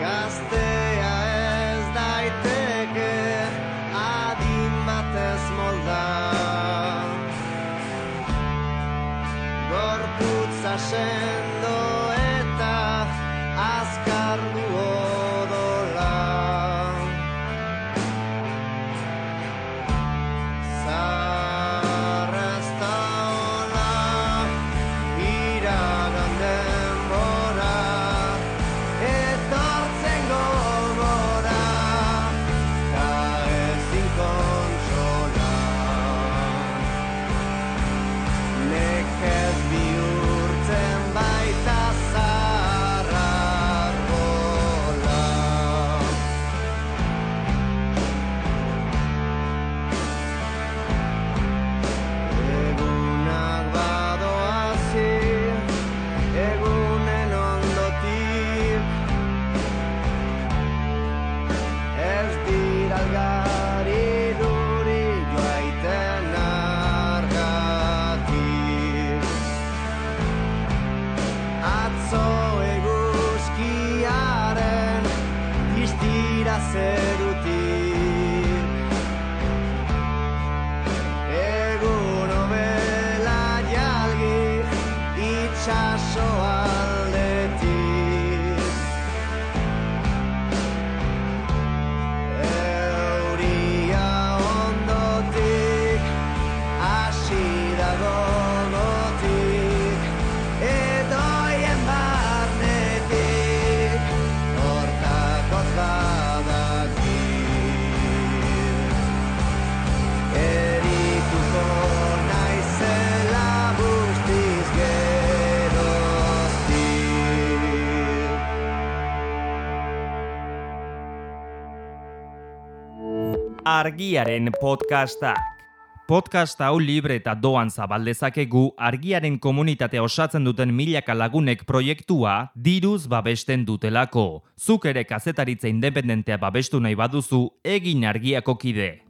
Gaztea ez daiteke adin batez molda. Gorputza sendo eta azkar du odola. Zarra ez da hola, iragan denbora, etortzen gogora, ta ezin kontsola. Nekez bihurtzen baita zaharra arbola. Egunak badoazi, egunen ondotik, ez dira algari duri joaiten argatik. Atzo eguzkiaren distira zerutik, egun obela jalgi itxaso aldetik. Euria ondotik, hasi da gogotik, edoien barnetik, hortakoz badakit. Erituko naizela guztiz geroztik. Argiaren podcastak. Podcast hau libre eta doan zabal dezakegu Argiaren komunitatea osatzen duten milaka lagunek proiektua diruz babesten dutelako. Zuk ere kazetaritza independentea babestu nahi baduzu, egin Argiako kide.